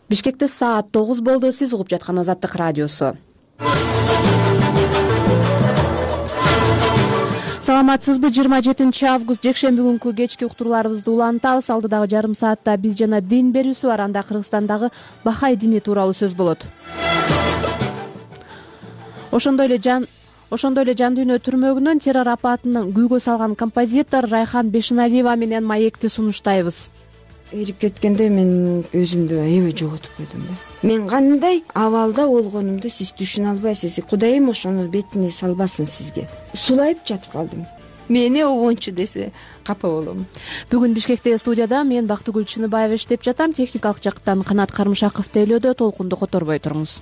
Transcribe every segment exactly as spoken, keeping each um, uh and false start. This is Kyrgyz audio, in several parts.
Бишкекте саат тогуз болду. Сиз угуп жаткан Азаттык радиосу. Саламатсызбы? жыйырма жетинчи август жекшемби күнкү кечки уктурууларыбызды улантабыз. Алдыдагы жарым саатта биз жана дин берүүсү бар. Анда Кыргызстандагы Бахай дини тууралуу сөз болот. Ошондой эле жан Ошондой эле жан дүйнө түрмөгүнөн террор апатынан күйгө салган композитор Райхан Бешеналиева менен маекти сунуштайбыз. Эрип кеткенде мен өзүмдү аябай жоготуп койдум да. Мен кандай абалда болгонумду сиз түшүнө албайсыз. Кудайым ошону бетине салбасын сизге. Сулайып жатып калдым. Мени обончу десе капа болом. Бүгүн Бишкекте студияда мен Бактыгүл Чыныбаева иштеп жатам. Техникалык жактан Канат Кармышаков тейлөөдө. Толкунду которбой туруңуз.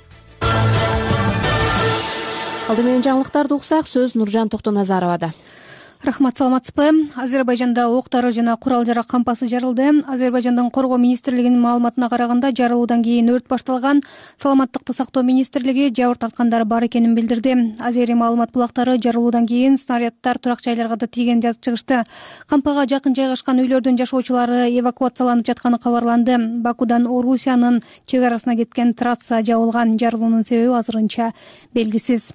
Алды менен жаңылыктарды уксак, сөз Нуржан Токтоназаровада. Рахмат, саламатсызбы? Азербайжанда октары жана курал-жарак кампасы жарылды. Азербайжандын коргоо министрлигинин маалыматына караганда, жарылуудан кийин өрт башталган. Саламаттыкты сактоо министрлиги жабыр тарткандар бар экенин билдирди. Азери маалымат булактары жарылуудан кийин снаряддар турак жайларга да тийгенин жазып чыгышты. Кампага жакын жайгашкан үйлөрдүн жашоочулары эвакуацияланып жатканы кабарланды. Бакудан Орусиянын чек арасына кеткен трасса жабылган. Жарылуунун себеби азырынча белгисиз.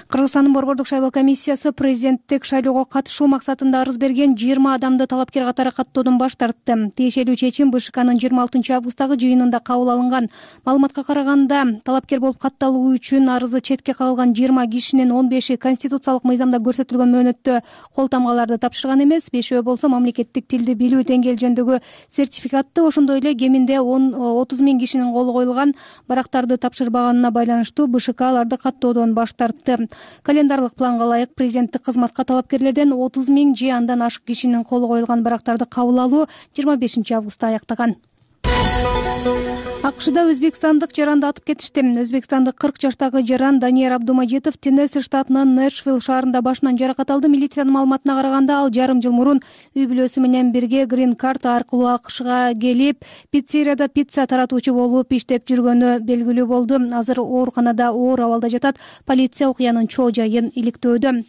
Кыргызстандын борбордук шайлоо комиссиясы президенттик шайлоого катышуу максатында арыз берген жыйырма адамды талапкер катары каттоодон баш тартты. Тиешелүү чечим БШКнын жыйырма алтынчы августтагы жыйынында кабыл алынган. Маалыматка караганда, талапкер болуп катталуу үчүн арызы четке кагылган жыйырма кишинин он беши конституциялык мыйзамда көрсөтүлгөн мөөнөттө кол тамгаларды тапшырган эмес, бешөө болсо мамлекеттик тилди билүү деңгээл жөнүндөгү сертификатты, ошондой эле кеминде отуз миң кишинин колу коюлган барактарды тапшырбаганына байланыштуу БШК аларды каттоодон баш тартты. Календарлык планга ылайык президенттик кызматка талапкерлерден отуз миң же андан ашык кишинин колу коюлган барактарды кабыл алуу жыйырма бешинчи августта аяктаган. АКШда өзбекстандык жаранды атып кетишти. Өзбекстандык кырк жаштагы жаран Данияр Абдумажитов Теннесси штатынын Нэшвилл шаарында башынан жаракат алды. Милициянын маалыматына караганда, ал жарым жыл мурун үй бүлөсү менен бирге грин карт аркылуу АКШга келип, пиццерияда пицца таратуучу болуп иштеп жүргөнү белгилүү болду. Азыр ооруканада оор абалда жатат. Полиция окуянын чоо жайын иликтөөдө.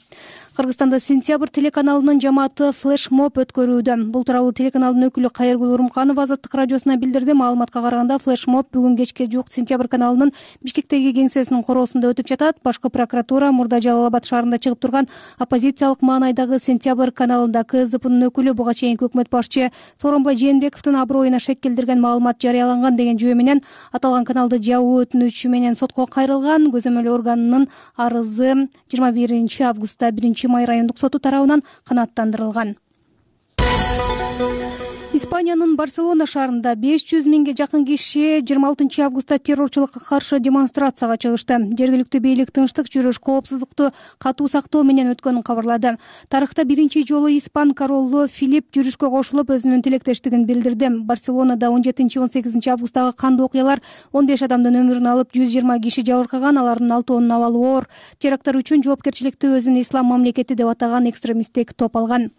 Кыргызстанда Сентябрь телеканалынын жамааты флешмоб өткөрүүдө. Бул тууралуу телеканалдын өкүлү Кайыргүл Урумканова Азаттык радиосуна билдирди. Маалыматка караганда, флешмоб бүгүн кечке жук Сентябрь каналынын Бишкектеги кеңсесинин короосунда өтүп жатат. Башкы прокуратура Мурда Жалал-Абад шаарында чыгып турган оппозициялык маанайдагы Сентябрь каналында КСДПнын өкүлү буга чейинки өкмөт башчы Сооронбай Жээнбековдун аброюна шек келтирген маалымат жарыяланган деген жөө менен аталган каналды жабуу өтүнүчү менен сотко кайрылган. Көзөмөл органынын арызы жыйырма биринчи августта биринчи май райондук соту тарабынан канааттандырылган. Испаниянын Барселона шаарында беш жүз миңге жакын киши жыйырма алтынчы августта террорчулукка каршы демонстрацияга чыгышты. Жергиликтүү бийлик тынчтык жүрүш, коопсуздукту катуу сактоо менен өткөнүн кабарлады. Тарыхта биринчи жолу испан королу Филипп жүрүшкө кошулуп, өзүнүн тилектештигин билдирди. Барселонада он жетинчи он сегизинчи августтагы кандуу окуялар он беш адамдын өмүрүн алып, жүз жыйырма киши жабыркаган. Алардын алтоонун абалы оор. Теракттар үчүн жоопкерчиликти өзүн ислам мамлекети деп атаган экстремисттик топ алган.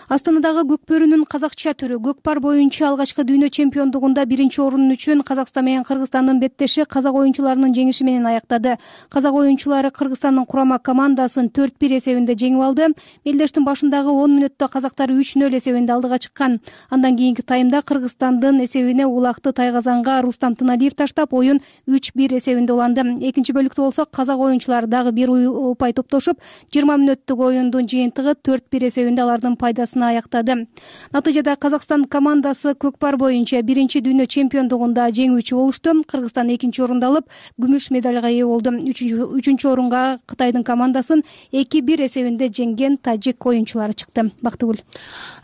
Астанадагы көкбөрүнүн казакча түрү көкпар боюнча алгачкы дүйнө чемпиондугунда биринчи орун үчүн Казакстан менен Кыргызстандын беттеши казак оюнчуларынын жеңиши менен аяктады. Казак оюнчулары Кыргызстандын курама командасын төрт бир эсебинде жеңип алды. Мелдештин башындагы он мүнөттө казактар үч нөл эсебинде алдыга чыккан. Андан кийинки таймда Кыргызстандын эсебине Улакты Тайгазанга Рустам Тыналиев таштап, оюн үч бир эсебинде уланды. Экинчи бөлүктө болсо казак оюнчулары дагы бир упай топтошуп, жыйырма мүнөттүк оюндун жыйынтыгы төрт бир эсебинде алардын пайдасына аяктады. Натыйжада Казакстан командасы көкпар боюнча биринчи дүйнө чемпиондугунда жеңүүчү болушту. Кыргызстан экинчи орунду алып, күмүш медалга ээ болду. Үчүнчү орунга Кытайдын командасын эки бир эсебинде жеңген тажик оюнчулары чыкты. Бактыгүл.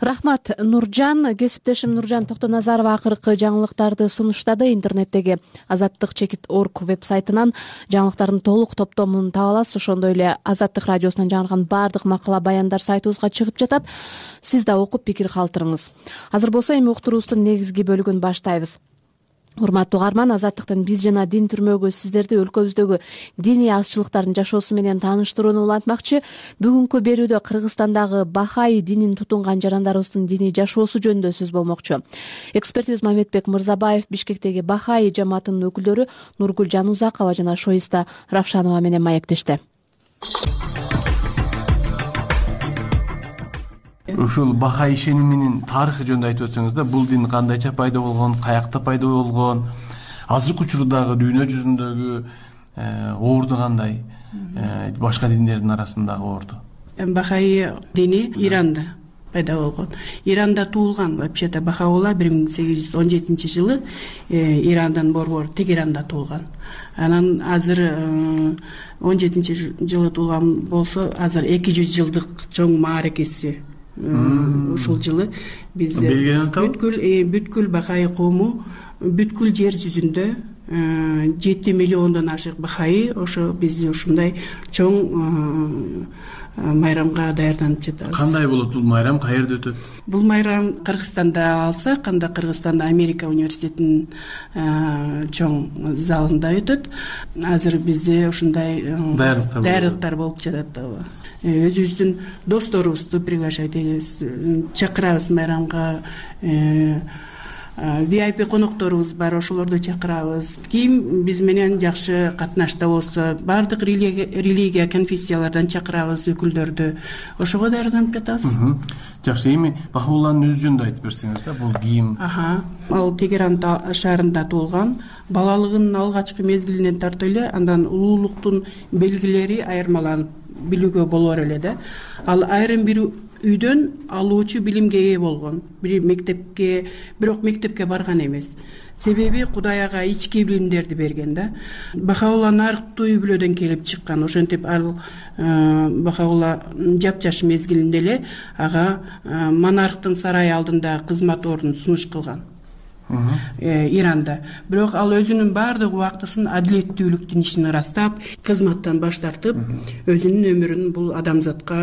Рахмат, Нуржан. Кесиптешим Нуржан Токтоназарова акыркы жаңылыктарды сунуштады. Интернеттеги азаттык чекит точка орг веб-сайтынан жаңылыктардын толук топтомун таба аласыз. Ошондой эле Азаттык радиосунан жаңырган баардык макала баяндар сайтыбызга чыгып жатат. Сиз да окуп пикир калтырыңыз. Азыр болсо эми уктуруубуздун негизги бөлүгүн баштайбыз. Урматтуу угарман, Азаттыктын биз жана дин түрмөгү сиздерди өлкөбүздөгү диний азчылыктардын жашоосу менен тааныштырууну улантмакчы. Бүгүнкү берүүдө Кыргызстандагы Бахай динин тутунган жарандарыбыздын диний жашоосу жөнүндө сөз болмокчу. Экспертибиз Мамедбек Мырзабаев Бишкектеги Бахай жамаатынын өкүлдөрү Нургүл Жанузакова жана Шоиста Равшанова менен маектешти. Ушул Бахай ишениминин тарыхы жөнүндө айтып өтсөңүз да, бул дин кандайча пайда болгон, каякта пайда болгон, азыркы учурдагы дүйнө жүзүндөгү орду кандай, башка диндердин арасындагы орду? Бахаи дини Иранда пайда болгон. Иранда туулган. Вообще-то Бахаулла бир миң сегиз жүз он жетинчи жылы Ирандан борбор Тегеранда туулган. Анан азыр он жетинчи жылы туулган болсо, азыр эки жүз жылдык чоң мааракеси ушул жылы биз бүткүл бүткүл Бахаи коому бүткүл жер жүзүндө жети миллиондон ашык бахаи ошо биз ушундай чоң майрамга даярданып жатабыз. Кандай болот бул майрам, каерде өтөт? Бул майрам Кыргызстанда алсак, анда Кыргызстанда Америка университетинин чоң залында өтөт. Азыр бизде ушундай даярдыктар болуп жатат. Өзүбүздүн досторубузду приглашать этебиз, чакырабыз майрамга. ви ай пи конокторубуз бар, ошолорду чакырабыз. Ким биз менен жакшы катнашта болсо, баардык религия, конфессиялардан чакырабыз өкүлдөрдү. Ошого даярданып жатабыз. Жакшы, эми Бахаулланын өз жөнүндө айтып берсеңиз да, бул ким? Ал Тегеран шаарында туулган. Балалыгынын алгачкы мезгилинен тартып эле андан улуулуктун белгилери айырмаланып билүүгө болор эле да. Ал айрым бир үйдөн алуучу билимге ээ болгон. Бир мектепке, бирок мектепке барган эмес. Себеби Кудай ага ички билимдерди берген да. Бахаулла нарыктуу үй бүлөдөн келип чыккан. Ошентип ал Бахаулла жапжаш мезгилинде эле ага монархтын сарайы алдында кызмат ордун сунуш кылган. Иранда. Бирок ал өзүнүн баардык убактысын адилеттүүлүктүн ишин ырастап, кызматтан баш тартып, өзүнүн өмүрүн бул адамзатка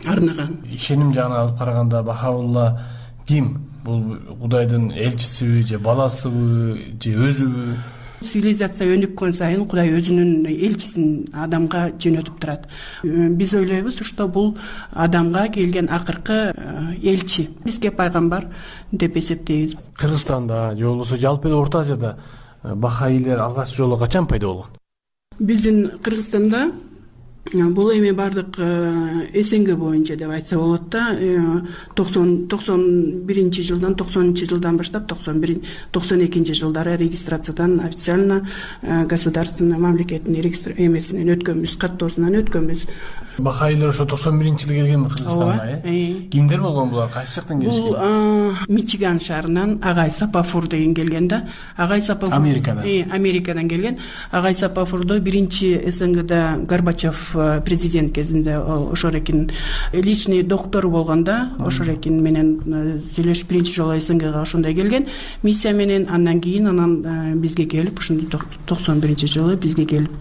арнаган. Ишеним жагынан алып караганда Бахаулла ким? Бул Кудайдын элчисиби же баласыбы же өзүбү? Цивилизация өнүккөн сайын Кудай өзүнүн элчисин адамга жөнөтүп турат. Биз ойлойбуз, что бул адамга келген акыркы элчи. Бизге пайгамбар деп эсептейбиз. Кыргызстанда же болбосо жалпы эле Орто Азияда бахаилер алгач жолу качан пайда болгон? Биздин Кыргызстанда бул эми бардык эсенге боюнча деп айтса болот да. токсон биринчи жылдан, токсонунчу жылдан баштап токсон бир токсон экинчи жылдары регистрациядан официально государственный мамлекеттин эмесинен өткөнбүз, каттоосунан өткөнбүз. Бахаилер ошо токсон биринчи жылы келгенби Кыргызстанга, э? Кимдер болгон булар? Кайсы жактан келишкен? Бул Мичиган шаарынан Агай Сапафур деген келген да. Агай Сапафур Америкадан. Америкадан келген. Агай Сапафурду биринчи СНГда Горбачев президент кезинде ошол экин личный доктор болгондо ошол экин менен сүйлөшүп биринчи жолу СНГга ошондой келген миссия менен. Андан кийин анан бизге келип, ушундай токсон биринчи жылы бизге келип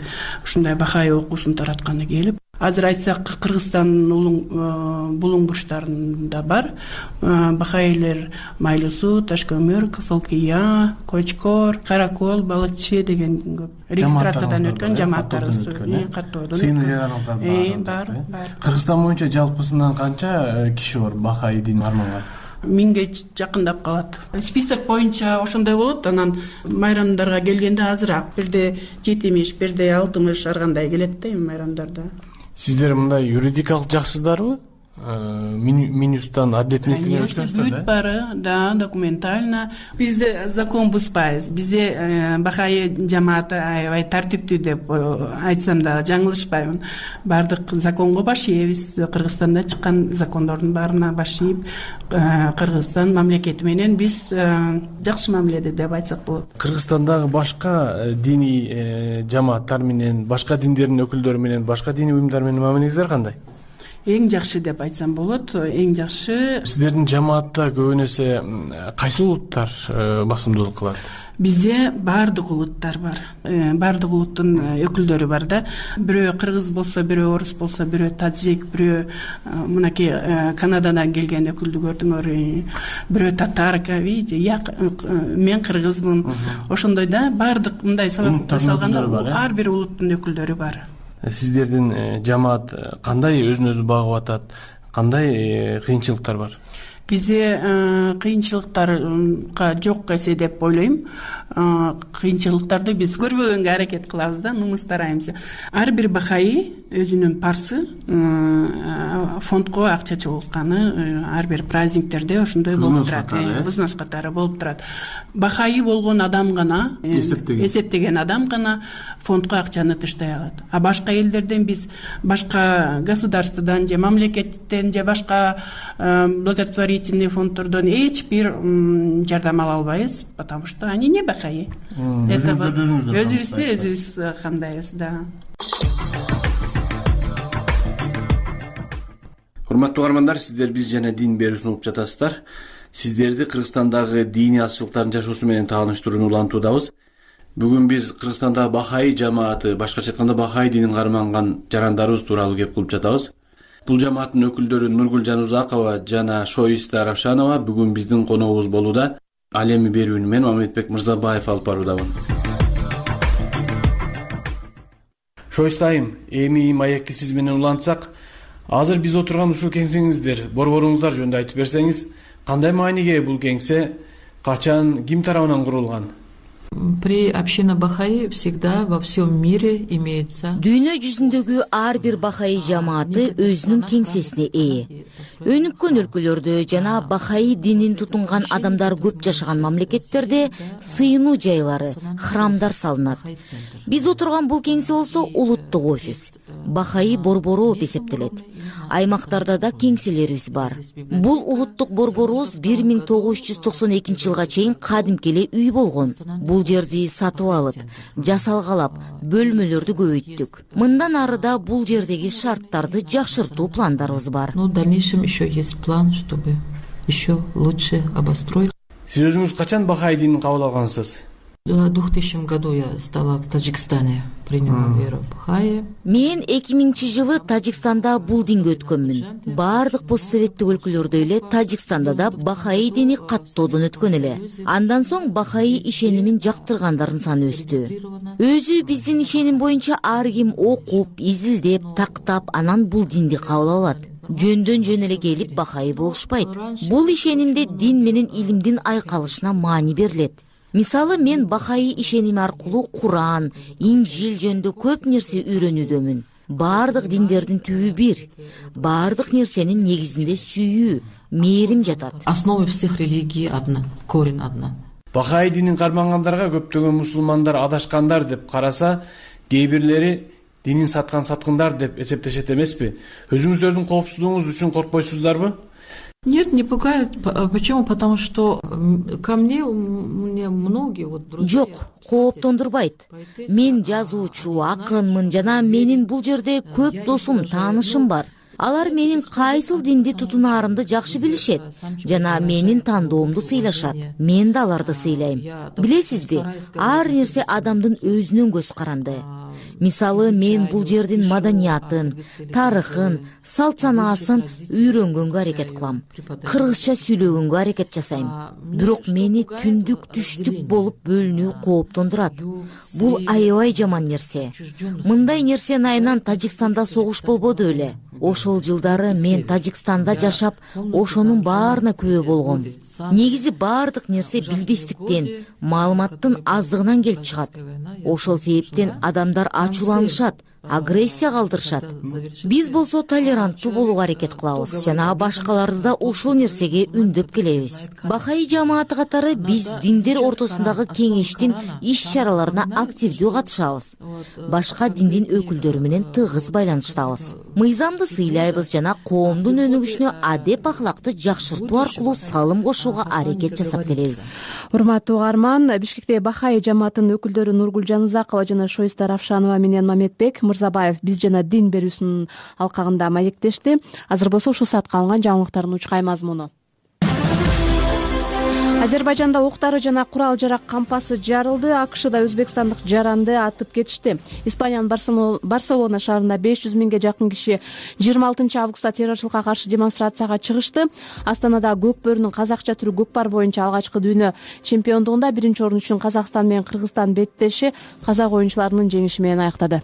ушундай бахаи окуусун таратканы келип. Азыр айтсак Кыргызстандын булуң бурчтарында бар бахаилер Майлысуу, Ташкөмүр, Кызылкыя, Кочкор, Каракол, Балыччы деген көп регистрациядан өткөн жамааттарыбыз каттоодон. Сыйынуу жараныңыздар бар. Бар. Кыргызстан боюнча жалпысынан канча киши бар бахаи дин арманган? Миңге жакындап калат. Список боюнча ошондой болот. Анан майрамдарга келгенде азыраак бирде жетимиш, бирде алтымыш ар кандай келет да эми майрамдарда. Сиздер мындай юридикалык жаксыздарбы? Минюстан адилеттүүлүктүн өткөнсүздөр да? Бары, да, документально. Бизде закон бузбайбыз. Бизде бахаи жамааты аябай тартиптүү деп айтсам да жаңылышпаймын. Бардык законго баш ийебиз. Кыргызстанда чыккан закондордун баарына баш ийип, Кыргызстан мамлекети менен биз жакшы мамиледе деп айтсак болот. Кыргызстандагы башка диний жамааттар менен, башка диндердин өкүлдөрү менен, башка диний уюмдар менен мамилеңиздер кандай? Эң жакшы деп айтсам болот. Эң жакшы. Сиздердин жамаатта көбүн эсе кайсы улуттар басымдуулук кылат? Бизде баардык улуттар бар. Баардык улуттун өкүлдөрү бар да. Бирөө кыргыз болсо, бирөө орус болсо, бирөө таджик, бирөө мынакей Канададан келген өкүлдү көрдүңөр. Бирөө татарка, видите, мен кыргызмын. Ошондой да, баардык мындай салганда ар бир улуттун өкүлдөрү бар. Сиздердин жамаат кандай өзүн өзү багып атат? Кандай кыйынчылыктар бар? бизде кыйынчылыктарга жок эсе деп ойлойм. Кыйынчылыктарды биз көрбөгөнгө аракет кылабыз да, нумуз тарайбыз. Ар бир бахаи өзүнүн парсы фондко акча чыгуулканы ар бир праздниктерде ошондой болуп турат, взнос катары болуп турат. Бахаи болгон адам гана, эсептеген адам гана фондко акчаны тыштай алат. А башка элдерден биз башка государстводан же мамлекеттен же башка благотворительный фонддордон эч бир жардам ала албайбыз, потому что они не бахаи. Это өзүбүздү өзүбүз кандайбыз, да. Урматтуу угармандар, сиздер биз жана дин берүүсүн угуп жатасыздар. Сиздерди Кыргызстандагы диний азчылыктардын жашоосу менен тааныштырууну улантуудабыз. Бүгүн биз Кыргызстандагы бахаи жамааты, башкача айтканда бахаи динин карманган жарандарыбыз тууралуу кеп кылып жатабыз. Бул жамааттын өкүлдөрү Нургүл Жанузакова жана Шойиста Равшанова бүгүн биздин коногубуз болууда. Ал эми берүүнү мен Мамедбек Мырзабаев алып баруудамын. Шойиста айым, эми маекти сиз менен улантсак, азыр биз отурган ушул кеңсеңиздер, борборуңуздар жөнүндө айтып берсеңиз, кандай мааниге бул кеңсе, качан, ким тарабынан курулган? При община бахаи всегда во всем мире имеется. Дүйнө жүзүндөгү ар бир бахаи жамааты өзүнүн кеңсесине ээ. Өнүккөн өлкөлөрдө жана бахаи динин тутунган адамдар көп жашаган мамлекеттерде сыйынуу жайлары, храмдар салынат. Биз отурган бул кеңсе болсо улуттук офис, бахаи борбору болуп эсептелет. Аймактарда да кеңселерибиз бар. Бул улуттук борборубуз бир миң тогуз жүз токсон экинчи жылга чейин кадимки эле үй болгон. Бул жерди сатып алып, жасалгалап, бөлмөлөрдү көбөйттүк. Мындан ары да бул жердеги шарттарды жакшыртуу пландарыбыз бар. Ну, в дальнейшем еще есть план, чтобы еще лучше обостроить. Сиз өзүңүз качан бахаи динин кабыл алгансыз? В двухтысячном году я стала в Таджикистане, приняла веру бахаи. Мен эки миңинчи жылы Тажикстанда бул динге өткөнмүн. Бардык постсоветтик өлкөлөрдө эле Тажикстанда да бахаи дини каттоодон өткөн эле. Андан соң бахаи ишенимин жактыргандардын саны өстү. Өзү биздин ишеним боюнча ар ким окуп, изилдеп, тактап, анан бул динди кабыл алат. Жөндөн жөн эле келип бахаи болушпайт. Бул ишенимде дин менен илимдин айкалышына маани берилет. Мисалы, мен бахаи ишеними аркылуу Куран, Инжил жөнүндө көп нерсе үйрөнүүдөмүн. Бардык диндердин түбү бир. Бардык нерсенин негизинде сүйүү, мээрим жатат. Основа всех религий одна, корень одна. Бахаи динин кармангандарга көптөгөн мусулмандар адашкандар деп караса, кээ бирлери динин саткан саткындар деп эсептешет эмеспи? Өзүңүздөрдүн коопсуздугуңуз үчүн коркпойсуздарбы? Нет, не пугает. Почему? Потому что ко мне, у меня многие вот друзья. Жок, кооптондурбайт. Мен жазуучу, акынмын жана менин бул жерде көп досум, таанышым бар. Алар менин кайсыл динди тутунаарымды жакшы билишет жана менин тандоомду сыйлашат. Мен да аларды сыйлайм. Билесизби, ар нерсе адамдын өзүнүн көз каранды. Мисалы, мен бул жердин маданиятын, тарыхын, салт санаасын үйрөнгөнгө аракет кылам. Кыргызча сүйлөгөнгө аракет жасайм. Бирок мени түндүк түштүк болуп бөлүнүү кооптондурат. Бул аябай жаман нерсе. Мындай нерсенин айынан Тажикстанда согуш болбоду эле. Ошол жылдары мен Тажикстанда жашап, ошонун баарына күбө болгом. Негизи бардык нерсе билбестиктен, маалыматтын аздыгынан келип чыгат. Ошол себептен адамдар ачууланышат, агрессия калтырышат. Биз болсо толеранттуу болууга аракет кылабыз жана башкаларды да ушул нерсеге үндөп келебиз. Бахаи жамааты катары биз диндер ортосундагы кеңештин иш-чараларына активдүү катышабыз. Башка диндин өкүлдөрү менен тыгыз байланыштабыз. Мыйзамды сыйлайбыз жана коомдун өнүгүшүнө адеп ахлакты жакшыртуу аркылуу салым кошууга аракет жасап келебиз. Урматтуу угарман, Бишкекте бахаи жамаатынын өкүлдөрү Нургүл Жанузакова жана Шойиста Равшанова менен Мамедбек Мырзабаев биз жана дин берүүсүнүн алкагында маектешти. Азыр болсо ушул саатка алынган жаңылыктардын учкай мазмуну. Азербайжанда октары жана курал жарак кампасы жарылды. АКШда өзбекстандык жаранды атып кетишти. Испаниянын Барселона шаарында беш жүз миңге жакын киши жыйырма алтынчы августта террорчулукка каршы демонстрацияга чыгышты. Астанада көк бөрүнүн казакча түрү көкпар боюнча алгачкы дүйнө чемпиондугунда биринчи орун үчүн Казакстан менен Кыргызстан беттеши казак оюнчуларынын жеңиши менен аяктады.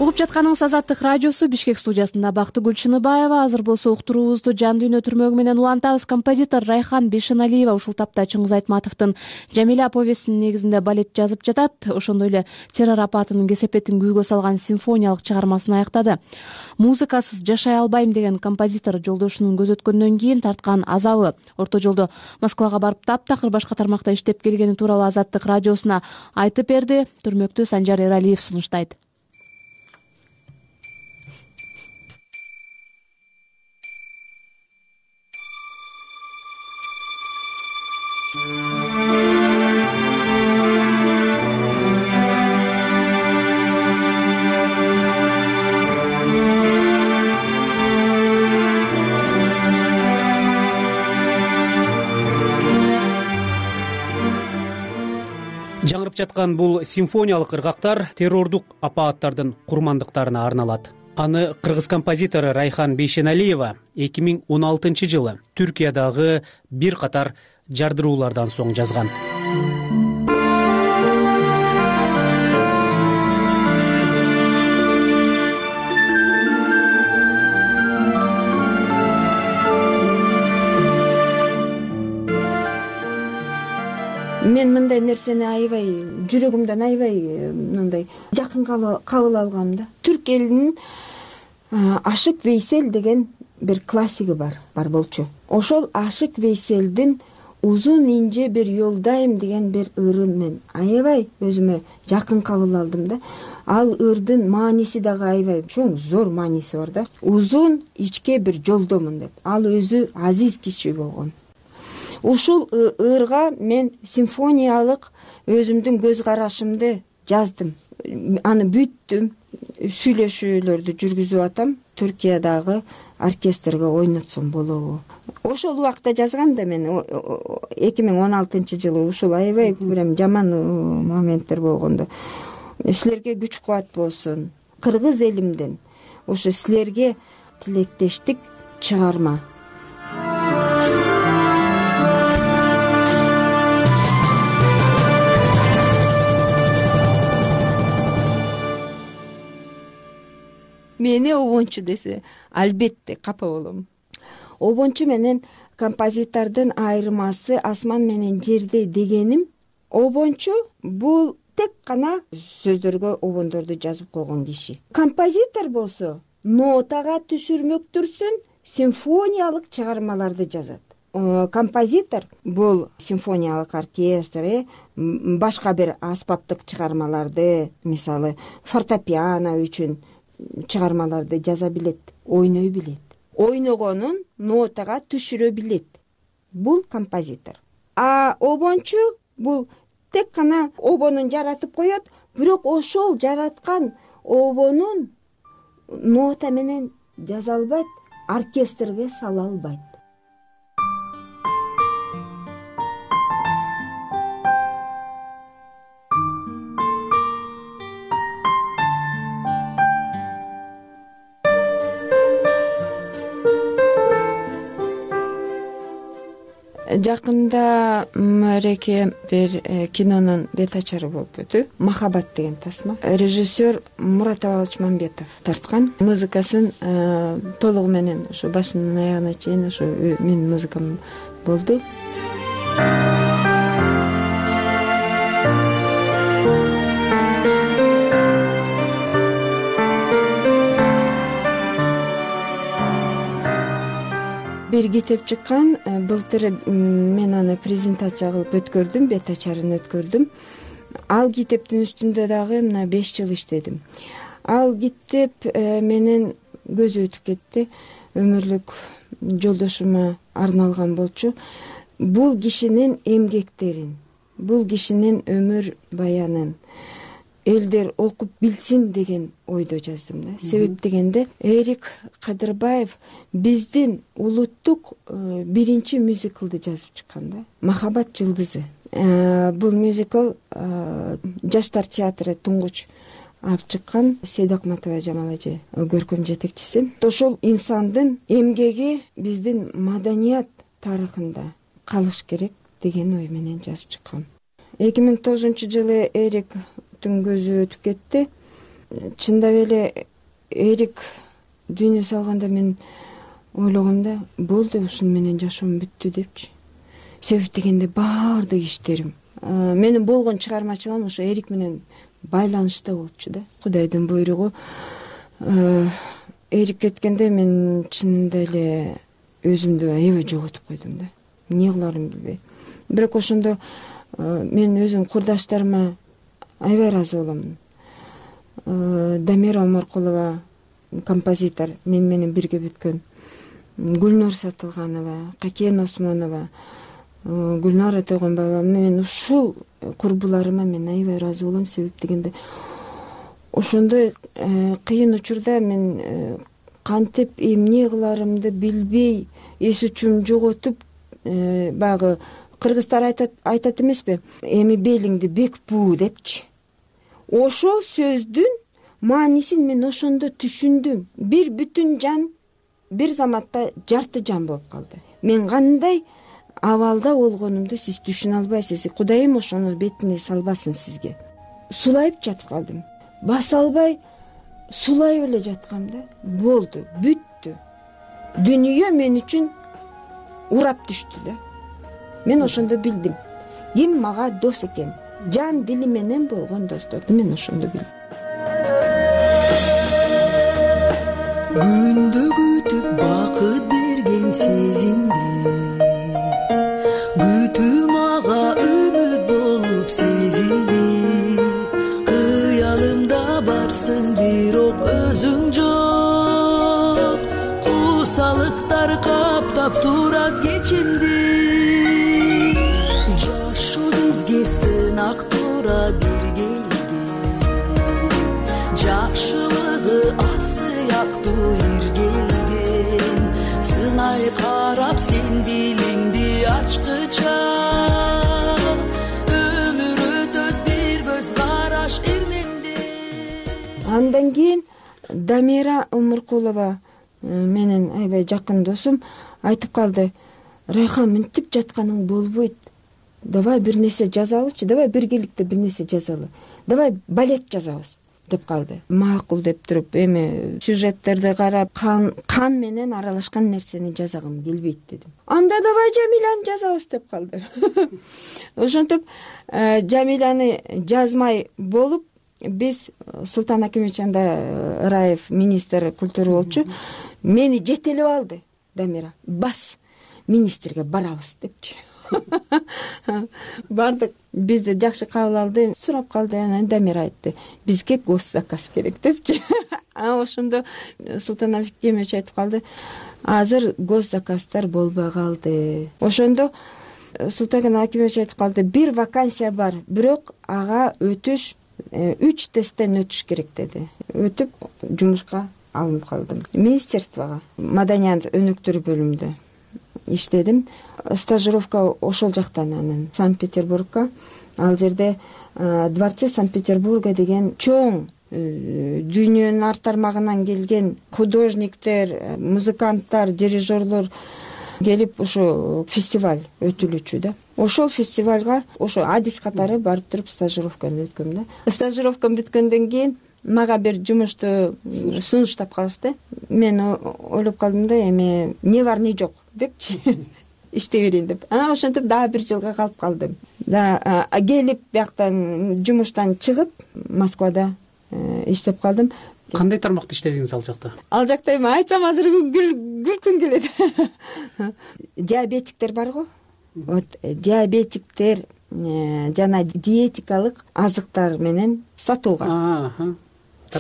угуп жатканыңыз Азаттык радиосу. Бишкек студиясында Бактыгүл Чыныбаева. Азыр болсо уктуруубузду жан дүйнө түрмөгү менен улантабыз. Композитор Райхан Бейшеналиева ушул тапта Чыңгыз Айтматовдун Жамиля повестинин негизинде балет жазып жатат. Ошондой эле террор апатынын кесепетин күйгө салган симфониялык чыгармасын аяктады. Музыкасыз жашай албайм деген композитор жолдошунун көз өткөндөн кийин тарткан азабы, орто жолдо Москвага барып таптакыр башка тармакта иштеп келгени тууралуу Азаттык радиосуна айтып берди. Түрмөктү Санжар Эралиев сунуштайт. Жаңырып жаткан бул симфониялык ыргактар террордук апааттардын курмандыктарына арналат. Аны кыргыз композитору Райхан Бейшеналиева эки миң он алтынчы жылы Түркиядагы бир катар жардыруулардан соң жазган. Мен мындай нерсени аябай жүрөгүмдөн аябай мындай жакын кабыл алгам да. Түрк элинин Ашык Вейсел деген бир классиги бар, бар болчу. Ошол Ашык Вейселдин Узун инже бир жолдайм деген бир ырын мен аябай өзүмө жакын кабыл алдым да. Ал ырдын мааниси дагы аябай чоң, зор мааниси бар да. Узун ичке бир жолдомун деп. Ал өзү азиз киши болгон. Ушул ырга мен симфониялык өзүмдүн көз карашымды жаздым. Аны бүттүм, сүйлөшүүлөрдү жүргүзүп атам. Түркиядагы оркестрге ойнотсом болобу? Ошол убакта жазгам да мен эки миң он алтынчы жылы. Ушул аябай прям жаман моменттер болгондо. Силерге күч кубат болсун. Кыргыз элимден ошо силерге тилектештик чыгарма. Мени обончу десе, албетте капа болом. Обончу менен композитордун айырмасы асман менен жерде дегеним, обончу бул тек гана сөздөргө обондорду жазып койгон киши. Композитор болсо нотага түшүрмөктүрсүн, симфониялык чыгармаларды жазат. Композитор бул симфониялык оркестр, башка бир аспаптык чыгармаларды, мисалы фортепиано үчүн чыгармаларды жаза билет, ойной билет. Ойногонун нотага түшүрө билет. Бул композитор. А обончу бул тек гана обонун жаратып коет, бирок ошол жараткан обонун нота менен жаза албайт, оркестрге сала албайт. Жакында Мореке бир кинонун бет ачары болуп өтү. Махаббат деген тасма. Режиссер Мурат Абалович Мамбетов тарткан. Музыкасын толугу менен ошо башынан аягына чейин ошо менин музыкам болду. Бир китеп чыккан, былтыр мен аны презентация кылып өткөрдүм, бет ачарын өткөрдүм. Ал китептин үстүндө дагы мына беш жыл иштедим. Ал китеп менен көзү өтүп кетти. Өмүрлүк жолдошума арналган болчу. Бул кишинин эмгектерин, бул кишинин өмүр баянын элдер окуп билсин деген ойдо жаздым да. Себеп дегенде Эрик Кадырбаев биздин улуттук биринчи мюзиклды жазып чыккан да. Махаббат жылдызы. Бул мюзикл Жаштар театры туңгуч алып чыккан. Сейда Акматова Жамал эже көркөм жетекчиси. Ошол инсандын эмгеги биздин маданият тарыхында калыш керек деген ой менен жазып чыккан. эки миң тогузунчу жылы Эрик көзү өтүп кетти. чындап эле Эрик дүйнө салганда мен ойлогом да, болду, ушуну менен жашоом бүттү депчи. Себеп дегенде баардык иштерим, менин болгон чыгармачылыгым ошо Эрик менен байланышта болчу да. Кудайдын буйругу. Эрик кеткенде мен чынында эле өзүмдү аябай жоготуп койдум да. Эмне кыларымды билбей. Бирок ошондо мен өзүм курдаштарыма аябай ыраазы болом. Дамира Омаркулова, композитор, мен менен бирге бүткөн, Гүлнур Сатылганова, Какен Осмонова, Гүлнара Тойгонбаева, мен ушул курбуларыма мен аябай ыраазы болом. Себеп дегенде ошондой кыйын учурда мен кантип эмне кыларымды билбей, эс учум жоготуп, баягы кыргыздар айтат айтат эмеспи, эми белиңди бек буу депчи. Ошол сөздүн маанисин мен ошондо түшүндүм. Бир бүтүн жан бир заматта жарты жан болуп калды. Мен кандай абалда болгонумду сиз түшүнө албайсыз. Кудайым ошону бетине салбасын сизге. Сулайып жатып калдым. Баса албай сулайып эле жаткам да. Болду, бүттү. Дүнүйө мен үчүн урап түштү да. Мен ошондо билдим. Ким мага дос экен? Жан дили менен болгон досторду мен ошондо билдим. Күндө күтүп бакыт берген сезимди, күтүү мага үмүт болуп сезилди. Кыялымда барсың, бирок өзүң жок. Кусалыктар каптап турат кечимди. Жашоо бизге сынак тура бир келген, жакшылыгы асыяктуу иргелген. Сынай карап сен дилиңди ачкыча, өмүр өтөт бир көз караш эрменде. Андан кийин Дамира Омаркулова, менин аябай жакын досум, айтып калды: Райхан, мынтип жатканың болбойт. Давай бир нерсе жазалычы, давай биргеликте бир нерсе жазалы. Давай балет жазабыз деп калды. Макул деп туруп, эми сюжеттерди карап, кан кан менен аралашкан нерсени жазагым келбейт дедим. Анда давай Жамиланы жазабыз деп калды. Ошентип Жамиланы жазмай болуп, биз Султан Акимович анда Раев министр культура болчу, мени жетелеп алды. Дамира, бас министрге барабыз депчи. Бардык, бизди жакшы кабыл алды, сурап калды. Анан Дамира айтты: бизге госзаказ керек депчи. Анан ошондо Султан Акимович айтып калды: азыр госзаказдар болбой калды. Ошондо Султан Акимович айтып калды: бир вакансия бар, бирок ага өтүш үч тесттен өтүш керек деди. Өтүп жумушка алынып калдым. Министерствого маданият өнүктүрүү бөлүмүндө иштедим. Стажировка ошол жактан, анан Санкт-Петербургка. Ал жерде Дворце Санкт-Петербурга деген чоң дүйнөнүн ар тармагынан келген художниктер, музыканттар, дирижерлор келип ошо фестиваль өтүлүчү да. Ошол фестивалга ошо адис катары барып туруп стажировканы өткөм да. Стажировкам бүткөндөн кийин мага бир жумушту сунуштап калышты. Мен ойлоп калдым да, эми не бар не жок депчи, иштей берейин деп. Анан ошентип дагы бир жылга калып калдым. Да келип бияктан жумуштан чыгып Москвада иштеп калдым. Кандай тармакта иштедиңиз ал жакта? Ал жакта эми айтсам азыр күлкүм келет. Диабетиктер бар го. Вот диабетиктер жана диетикалык азыктар менен сатууга.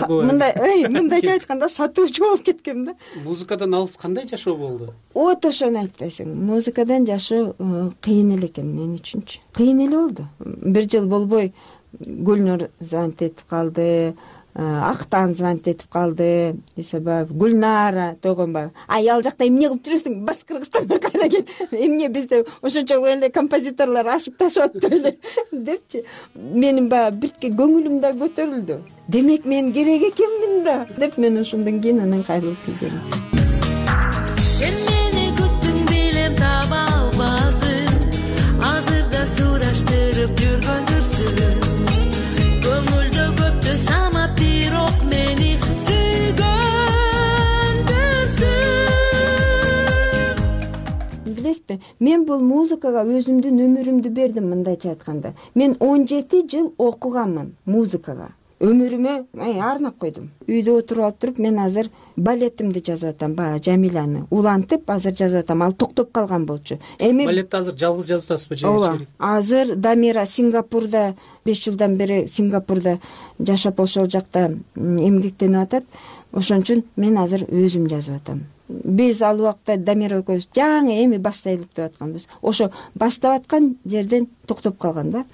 Мындай, мындайча айтканда сатуучу болуп кеткем да. Музыкадан алыс кандай жашоо болду? Вот ошону айтпайсың. Музыкадан жашоо кыйын эле экен мен үчүнчү. Кыйын эле болду. Бир жыл болбой Гүлнур звонить этип калды, Актан звонить этип калды, Исабаев, Гүлнара Тойгонбаева. Ай, ал жакта эмне кылып жүрөсүң? Бас Кыргызстанга кайра кел. Эмне бизде ошончолук эле композиторлор ашып ташып атты эле депчи. Менин баягы биртке көңүлүм да көтөрүлдү. Демек мен керек экенмин да деп мен ошондон кийин анан кайрылып келдим. Сен мени күттүң, билем таба албадым, азырда сураштырып жүргөндүрсүң. Көңүлдө көптү самап, бирок мен бул музыкага өзүмдүн өмүрүмдү бердим. Мындайча айтканда, мен он жети жыл окуганмын музыкага. Өмүрүмө арнап койдум. Үйдө отуруп алып туруп, мен азыр балетимди жазып атам, баягы Жамиланы улантып азыр жазып атам. Ал токтоп калган болчу. Эми балетти азыр жалгыз жазып атасызбы же? Ооба. Азыр Дамира Сингапурда беш жылдан бери Сингапурда жашап, ошол жакта эмгектенип атат. Ошон үчүн мен азыр өзүм жазып атам. Биз ал убакта Дамира экөөбүз жаңы эми баштайлык деп атканбыз. Ошо баштап аткан жерден токтоп калган да.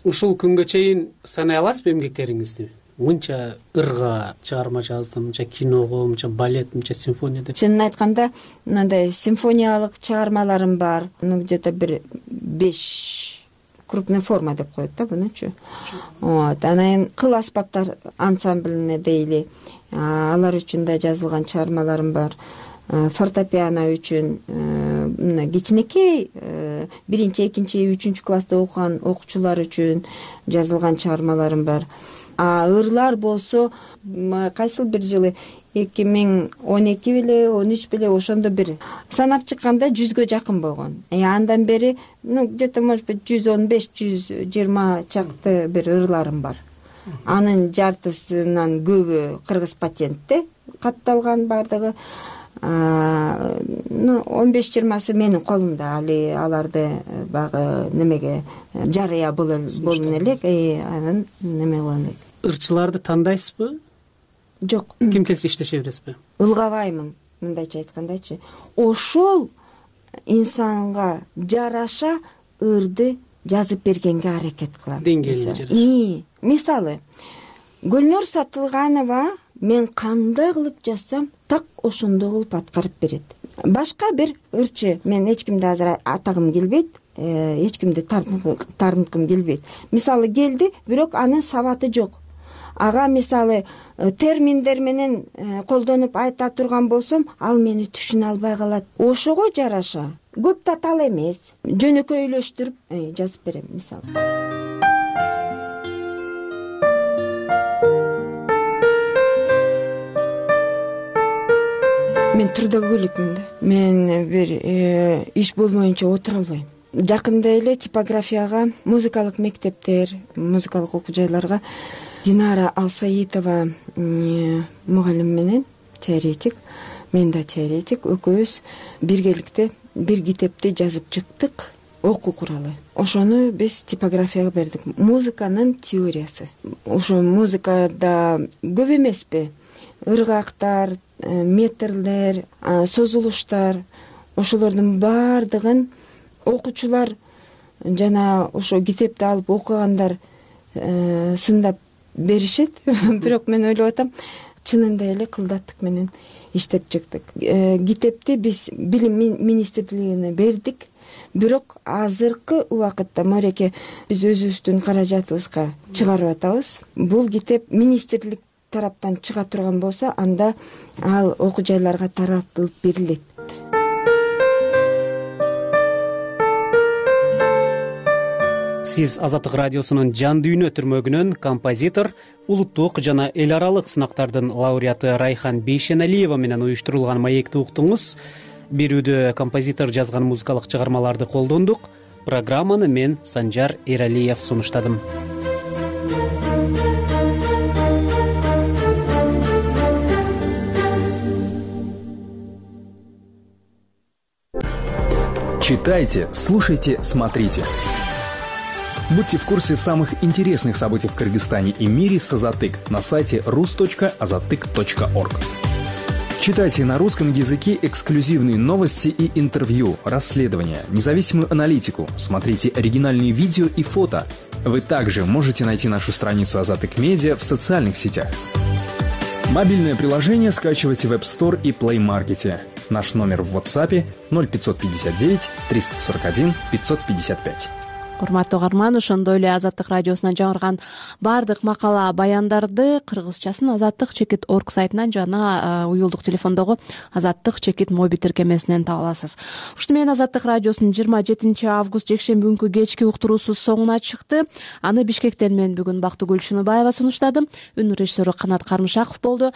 Ушул күнгө чейин санай аласызбы эмгектериңизди? Мынча ырга чыгарма жаздым, мынча киного, мынча балет, мынча симфония деп. Чынын айтканда, мындай симфониялык чыгармаларым бар. Ну где-то бир беш крупная форма деп коет да бунучу. Вот, анан кыл аспаптар ансамблине дейли. Алар үчүн да жазылган чыгармаларым бар. Фортепиано үчүн мына кичинекей биринчи, экинчи, үчүнчү класста окуган окуучулар үчүн жазылган чыгармаларым бар. А ырлар болсо кайсыл бир жылы эки миң он эки беле, он үч беле ошондо бир санап чыкканда жүзгө жакын болгон. Э андан бери, ну где-то может быть жүз он беш, жүз жыйырма чакты бир ырларым бар. Анын жартысынан көбү кыргыз патентте катталган бардыгы. Ну он беш жыйырмасы менин колумда. Али аларды багы немеге жарыя болон элек, анан неме болгон элек. Ырчыларды тандайсызбы? Жок. Ким келсе иштеше бересизби? Ылгабаймын, мындайча айткандачы. Ошол инсанга жараша ырды жазып бергенге аракет кылам. Деңгээлине жараша. Мисалы, Гүлнур Сатылганова мен кандай кылып жазсам, так ошондой кылып аткарып берет. Башка бир ырчы, мен эч кимди азыр атагым келбейт, эч кимди тартынткым келбейт. Мисалы келди, бирок анын сабаты жок. Ага мисалы терминдер менен колдонуп айта турган болсом, ал мени түшүнө албай калат. Ошого жараша көп татал эмес, жөнөкөйлөштүрүп жазып берем мисалы. Мен трудоголикмин да. Мен бир иш болмоюнча отура албайм. Жакында эле типографияга, музыкалык мектептер, музыкалык окуу жайларга Динара Алсаитова мугалим менен теоретик, мен да теоретик, экөөбүз биргеликте бир китепти жазып чыктык, окуу куралы. Ошону биз типографияга бердик. Музыканын теориясы. Ошо музыкада көп эмеспи? Ыргактар, метрлер, созулуштар, ошолордун баардыгын окуучулар жана ошо китепти алып окугандар сындап беришет. Бирок мен ойлоп атам, чынында эле кылдаттык менен иштеп чыктык. Китепти биз Билим министрлигине бердик. Бирок азыркы убакытта мореке биз өзүбүздүн каражатыбызга чыгарып атабыз. Бул китеп министрлик тараптан чыга турган болсо, анда ал окуу жайларга таратылып берилет. Сиз Азаттык радиосунун Жан дүйнө түрмөгүнөн композитор, улуттук жана эл аралык сынактардын лауреаты Райхан Бейшеналиева менен уюштурулган маекти уктуңуз. Берүүдө композитор жазган музыкалык чыгармаларды колдондук. Программаны мен Санжар Эралиев сунуштадым. Читайте, слушайте, смотрите. Будьте в курсе самых интересных событий в Кыргызстане и мире с Азаттык на сайте рус точка азаттык точка орг. Читайте на русском языке эксклюзивные новости и интервью, расследования, независимую аналитику, смотрите оригинальные видео и фото. Вы также можете найти нашу страницу Азаттык Медиа в социальных сетях. Мобильное приложение скачивайте в App Store и Play Market. Наш номер в WhatsApp ноль пятьсот пятьдесят девять триста сорок один пятьсот пятьдесят пять. Урматтуу угарман, ошондой эле Азаттык радиосунан жаңырган баардык макала баяндарды кыргызчасын азаттык чекит орг сайтынан жана уюлдук телефондогу азаттык чекит моби тиркемесинен таба аласыз. Ушуну менен Азаттык радиосунун жыйырма жетинчи август жекшемби күнкү кечки уктуруусу соңуна чыкты. Аны Бишкектен мен бүгүн Бактыгүл Шыныбаева сунуштадым. Үн режиссеру Канат Кармышаков болду.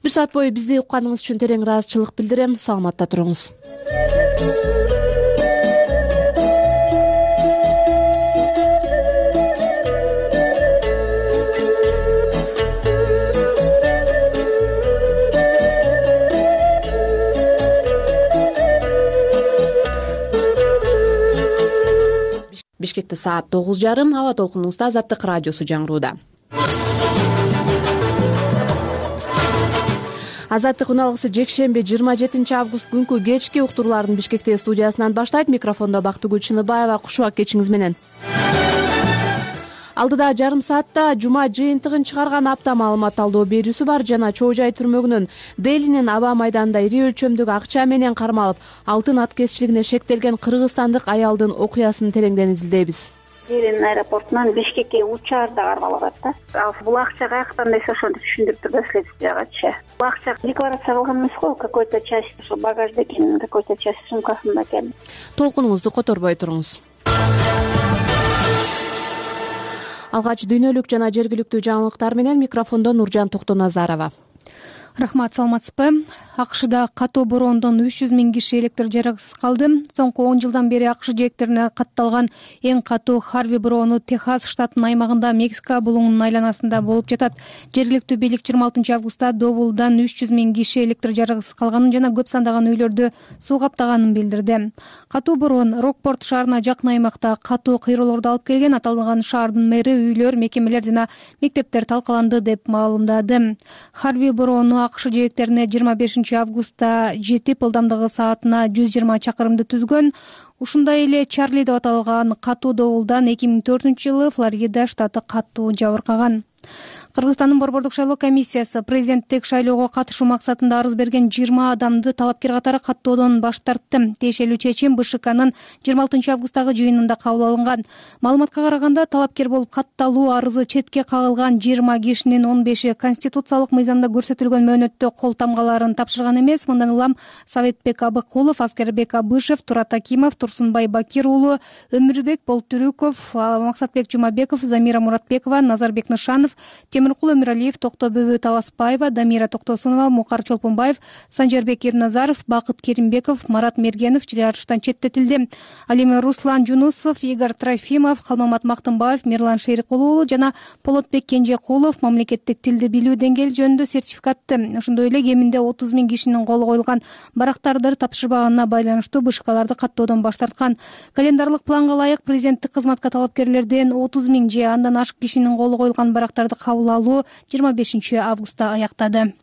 Бир саат бою бизди укканыңыз үчүн терең ыраазычылык билдирем. Саламатта туруңуз. Бишкекте саат тогуз жарым. Аба толкунубузда Азаттык радиосу жаңырууда. Азаттык уналгысы жекшемби жыйырма жетинчи август күнкү кечки уктурууларын Бишкекте студиясынан баштайт. Микрофондо Бактыгүл Чыныбаева. Куш убак кечиңиз менен. Алдыда жарым саатта жума жыйынтыгын чыгарган апта маалымат талдоо берүүсү бар жана Чоо Жай түрмөгүнүн Делинин аба майданында ири өлчөмдүк акча менен кармалып, алтын аткезчилигине шектелген кыргызстандык аялдын окуясын тереңден изилдейбиз. Делин аэропортунан Бишкекке учаарда кармалып атат да. Ал бул акча каяктан десе ошону түшүндүрүп турду следствиягачы. Бул акча декларация кылган эмес го, какой-то часть ошо багажда экен, какой-то часть сумкасында экен. Толкунуңузду которбой туруңуз. Алгач дүйнөлүк жана жергиликтүү жаңылыктар менен микрофондо Нуржан Токтоназарова. Рахмат, саламатсызбы? АКШда катуу бороондон үч жүз миң киши электр жараксыз калды. Соңку он жылдан бери АКШ жээктерине катталган эң катуу Харви бороону Техас штатынын аймагында Мексика булуңунун айланасында болуп жатат. Жергиликтүү бийлик жыйырма алтынчы августта добулдан үч жүз миң киши электр жараксыз калганын жана көп сандаган үйлөрдү суу каптаганын билдирди. Катуу бороон Рокпорт шаарына жакын аймакта катуу кыйроолорду алып келген. Аталган шаардын мэри үйлөр, мекемелер жана мектептер талкаланды деп маалымдады. Харви бороону АКШ жээктерине жыйырма бешинчи августта жетип, ылдамдыгы саатына жүз жыйырма чакырымды түзгөн. Ушундай эле Чарли деп аталган катуу добулдан эки миң төртүнчү жылы Флорида штаты катуу жабыркаган. Кыргызстандын борбордук шайлоо комиссиясы президенттик шайлоого катышуу максатында арыз берген жыйырма адамды талапкер катары каттоодон баш тартты. Тиешелүү чечим БШКнын жыйырма алтынчы августтагы жыйынында кабыл алынган. Маалыматка караганда, талапкер болуп катталуу арызы четке кагылган жыйырма кишинин он беши конституциялык мыйзамда көрсөтүлгөн мөөнөттө кол тамгаларын тапшырган эмес. Мындан улам Советбек Абыкулов, Аскербек Абышев, Турат Акимов, Турсунбай Бакир уулу, Өмүрбек Болтүрүков, Максатбек Жумабеков, Замира Муратбекова, Назарбек Нышанов, Темиркул Өмүралиев, Токтобөбө Таласпаева, Дамира Токтосунова, Мукар Чолпонбаев, Санжарбек Ирназаров, Бакыт Керимбеков, Марат Мергенов жарыштан четтетилди. Ал эми Руслан Жунусов, Игорь Трофимов, Калмамат Мактымбаев, Мирлан Шейрикулов уулу жана Полотбек Кенжекулов мамлекеттик тилди билүү деңгээли жөнүндө сертификатты. Ошондой эле кеминде отуз миң кишинин колу коюлган барактарды тапшырбаганына байланыштуу БШКларды каттоодон баш тарткан. Календарлык планга ылайык президенттик кызматка талапкерлерден отуз миң же андан ашык кишинин колу коюлган барактарды кабыл алуу жыйырма бешинчи августта аяктады.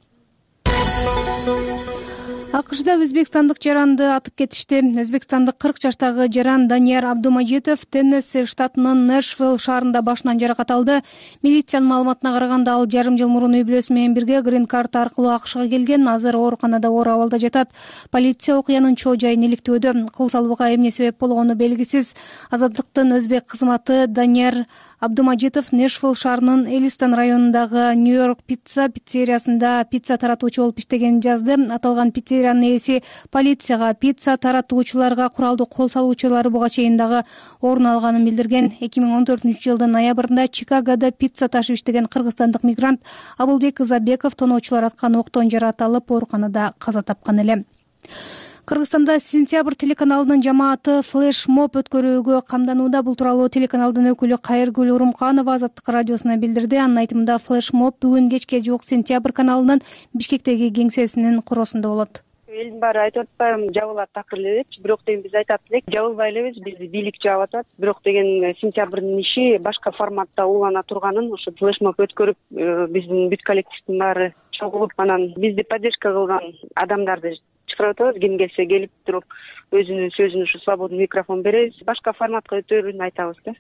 АКШда өзбекстандык жаранды атып кетишти. Өзбекстандык кырк жаштагы жаран Данияр Абдумажитов Теннесси штатынын Нэшвилл шаарында башынан жаракат алды. Милициянын маалыматына караганда, ал жарым жыл мурун үй бүлөсү менен бирге грин карта аркылуу АКШга келген. Азыр ооруканада оор абалда жатат. Полиция окуянын чоо жайын иликтөөдө. Кол салууга эмне себеп болгону белгисиз. Азаттыктын өзбек кызматы Данияр Абдумажитов Нэшвилл шаарынын Элистон районундагы Нью-Йорк пицца пиццериясында пицца таратуучу болуп иштегенин жазды. Аталган пиццериянын ээси полицияга пицца таратуучуларга куралдуу кол салуучулары буга чейин дагы орун алганын билдирген. эки миң он төртүнчү жылдын ноябрында Чикагода пицца ташып иштеген кыргызстандык мигрант Абылбек Изабеков тоноочулар аткан октон жаратылып ооруканада каза тапкан эле. Кыргызстанда Сентябрь телеканалынын жамааты флеш-моб өткөрүүгө камданууда. Бул тууралуу телеканалдын өкүлү Кайыргүл Урумканова Азаттык радиосуна билдирди. Анын айтымында, флеш-моб бүгүн кечке жуук Сентябрь каналынын Бишкектеги кеңсесинин куросунда болот. Элдин баары айтып атпайбы, жабылат такыр эле депчи. Бирок деген биз айтат элек, жабылбай элебиз, бизди бийлик жаап атат. Бирок деген Сентябрдын иши башка форматта улана турганын, ошо флеш-моб өткөрүп, биздин бүт коллективдин баары чогулуп, анан бизди поддержка кылган адамдарды чакырып атабыз. Ким келсе келип туруп өзүнүн сөзүн ушу свободный микрофон беребиз. Башка форматка өтөрүн айтабыз да.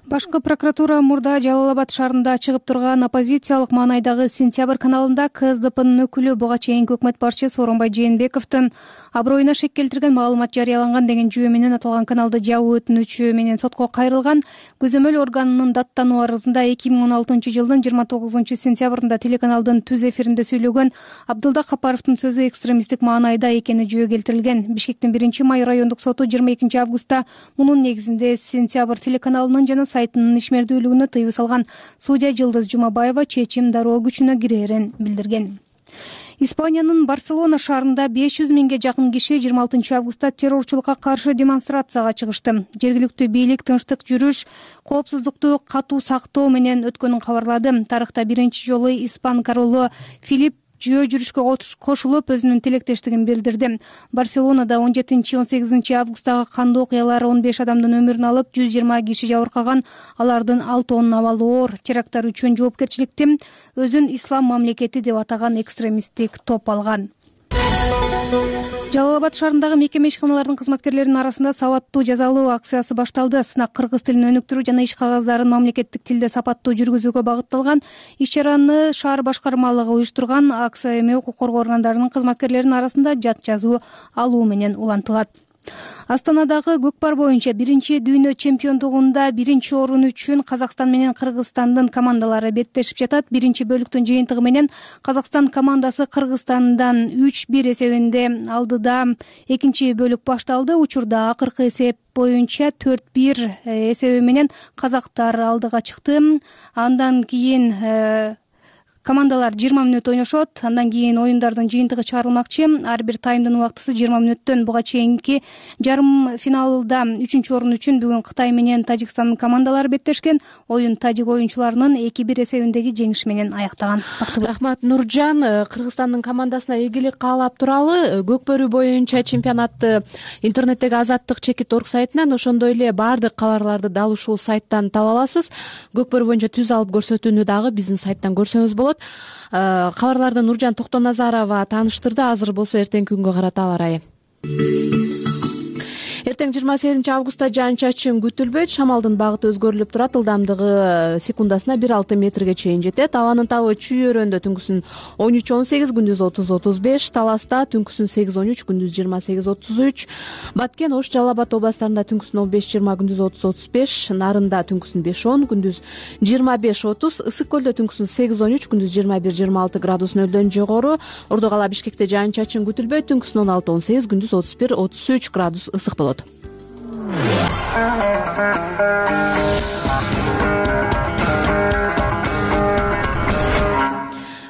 Башкы прокуратура мурда Жалал Абад шаарында чыгып турган оппозициялык маанайдагы Сентябрь каналында КСДПнын өкүлү буга чейинки өкмөт башчы Сооронбай Жээнбековдун аброюна шек келтирген маалымат жарыяланган деген жүйө менен аталган каналды жабуу өтүнүчү менен сотко кайрылган. Көзөмөл органынын даттануу арызында эки миң он алтынчы жылдын жыйырма тогузунчу сентябрында телеканалдын түз эфиринде сүйлөгөн Абдылда Капаровдун сөзү экстремисттик маанайда экени жүйө келтирилген. Бишкектин биринчи май райондук соту жыйырма экинчи августта мунун негизинде Сентябрь телеканалынын жана сайтынын ишмердүүлүгүнө тыюу салган. Судья Жылдыз Жумабаева чечим дароо күчүнө кирерин билдирген. Испаниянын Барселона шаарында беш жүз миңге жакын киши жыйырма алтынчы августта террорчулукка каршы демонстрацияга чыгышты. Жергиликтүү бийлик тынчтык жүрүш, коопсуздукту катуу сактоо менен өткөнүн кабарлады. Тарыхта биринчи жолу испан королу Филипп жөө жүрүшкө кошулуп өзүнүн тилектештигин билдирди. Барселонада он жетинчи он сегизинчи августтагы кандуу окуялар он беш адамдын өмүрүн алып, жүз жыйырма киши жабыркаган. Алардын алтоонун абалы оор. Теракттар үчүн жоопкерчиликти өзүн ислам мамлекети деп атаган экстремисттик топ алган. Жалал Абад шаарындагы мекеме ишканалардын кызматкерлеринин арасында сабаттуу жазалоо акциясы башталды. Сынак кыргыз тилин өнүктүрүү жана иш кагаздарын мамлекеттик тилде сапаттуу жүргүзүүгө багытталган. Иш-чараны шаар башкармалыгы уюштурган. Акция эми укук коргоо органдарынын кызматкерлеринин арасында жат жазуу алуу менен улантылат. Астанадагы көкпар боюнча биринчи дүйнө чемпиондугунда биринчи орун үчүн Казакстан менен Кыргызстандын командалары беттешип жатат. Биринчи бөлүктүн жыйынтыгы менен Казакстан командасы Кыргызстандан үч бир эсебинде алдыда. Экинчи бөлүк башталды. Учурда акыркы эсеп боюнча төрт бир эсеби менен казактар алдыга чыкты. Андан кийин командалар жыйырма мүнөт ойношот. Андан кийин оюндардын жыйынтыгы чыгарылмакчы. Ар бир таймдын убактысы жыйырма мүнөттөн. Буга чейинки жарым финалда үчүнчү орун үчүн бүгүн Кытай менен Тажикстандын командалары беттешкен. Оюн тажик оюнчуларынын эки бир эсебиндеги жеңиши менен аяктаган. Рахмат, Нуржан. Кыргызстандын командасына ийгилик каалап туралы. Көкбөрү боюнча чемпионатты интернеттеги Азаттык чекит орг сайтынан, ошондой эле баардык кабарларды дал ушул сайттан таба аласыз. Көкбөрү боюнча түз алып көрсөтүүнү дагы биздин сайттан көрсөңүз болот. Кабарларды Нуржан Токтоназарова тааныштырды. Азыр болсо эртеңки күнгө карата аба ырайы. Эртең жыйырма сегизинчи августта жаан-чачын күтүлбөйт. Шамалдын багыты өзгөрүлүп турат. Ылдамдыгы секундасына бир алты метрге чейин жетет. Абанын табы Чүй-Өрөндө түнкүсүн он үч он сегиз, күндүз отуз отуз беш, Таласта түнкүсүн сегиз он үч, күндүз жыйырма сегиз отуз үч, Баткен, Ош, Жалал Абад областарында түнкүсүн он беш жыйырма, күндүз отуз отуз беш, Нарында түнкүсүн беш он, күндүз жыйырма беш отуз, Ысык көлдө түнкүсүн сегиз он үч, күндүз жыйырма бир жыйырма алты градус нөлдөн жогору, Ордо кала Бишкекте жаан-чачын күтүлбөйт. Түнкүсүн он алты он сегиз, күндүз отуз бир отуз үч градус ысык болот.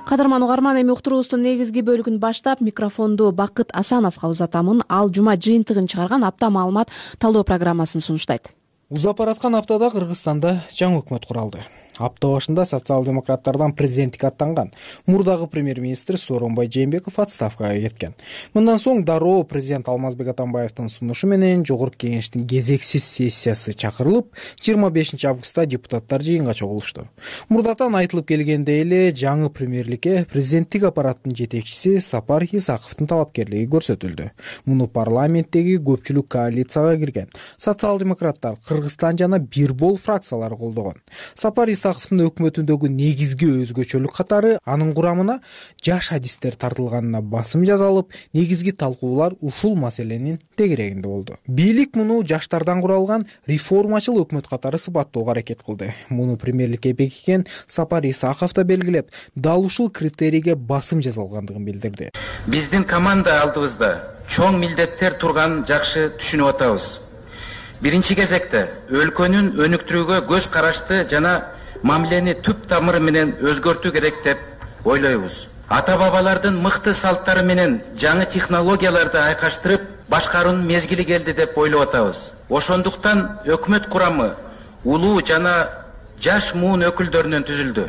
Кадырман угарман, эми уктуруубуздун негизги бөлүгүн баштап микрофонду Бакыт Асановго узатамын. Ал жума жыйынтыгын чыгарган апта маалымат талдоо программасын сунуштайт. Узап бараткан аптада Кыргызстанда жаңы өкмөт куралды. Апта башында социал-демократтардан президенттикке аттанган мурдагы премьер-министр Сооронбай Жээнбеков отставкага кеткен. Мындан соң дароо президент Алмазбек Атамбаевдин сунушу менен Жогорку Кеңештин кезексиз сессиясы чакырылып, жыйырма бешинчи августта депутаттар жыйынга чогулушту. Мурдатан айтылып келгендей эле жаңы премьерликке президенттик аппараттын жетекчиси Сапар Исаковдун талапкерлиги көрсөтүлдү. Муну парламенттеги көпчүлүк коалицияга кирген социал-демократтар, Кыргызстан жана Бирбол фракциялары колдогон. Сапар Исаковдун өкмөтүндөгү негизги өзгөчөлүк катары анын курамына жаш адистер тартылганына басым жасалып, негизги талкуулар ушул маселенин тегерегинде болду. Бийлик муну жаштардан куралган реформачыл өкмөт катары сыпаттоого аракет кылды. Муну премьерликке бекиген Сапар Исаков да белгилеп, дал ушул критерийге басым жасалгандыгын билдирди. Биздин команда алдыбызда чоң милдеттер турганын жакшы түшүнүп атабыз. Биринчи кезекте өлкөнүн өнүктүрүүгө көз карашты жана мамилени түп тамыры менен өзгөртүү керек деп ойлойбуз. Ата бабалардын мыкты салттары менен жаңы технологияларды айкаштырып башкаруунун мезгили келди деп ойлоп атабыз. Ошондуктан өкмөт курамы улуу жана жаш муун өкүлдөрүнөн түзүлдү.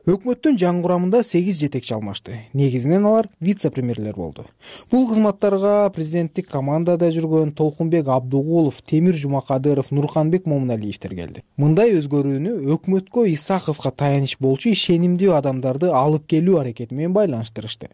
Өкмөттүн жаңы курамында сегиз жетекчи алмашты. Негизинен алар вице-премьерлер болду. Бул кызматтарга президенттик командада жүргөн Толкунбек Абдугулов, Темир Жумакадыров, Нурканбек Момуналиевдер келди. Мындай өзгөрүүнү өкмөткө Исаковго таяныч болчу ишенимдүү адамдарды алып келүү аракети менен байланыштырышты.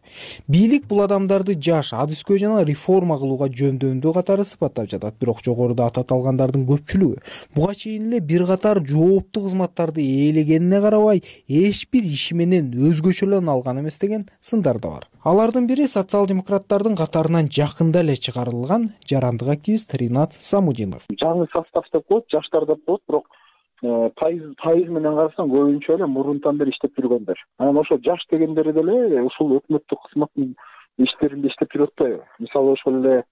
Бийлик бул адамдарды жаш, адыскөй жана реформа кылууга жөндөмдүү катары сыпаттап жатат. Бирок жогоруда аталгандардын көпчүлүгү буга чейин эле бир катар жооптуу кызматтарды ээлегенине карабай, эч бир иши менен өзгөчөлөн алган эмес деген сындар да бар. Алардын бири социал-демократтардын катарынан жакында эле чыгарылган жарандык активист Ринат Самудинов. Жаңы состав деп коет, жаштар деп коет, бирок пайыз пайыз менен карасаң көбүнчө эле мурунтан бери иштеп жүргөндөр. Анан ошо жаш дегендери деле ушул өкмөттүк кызматтын иштеринде иштеп жүрүп атпайбы? Мисалы ошол эле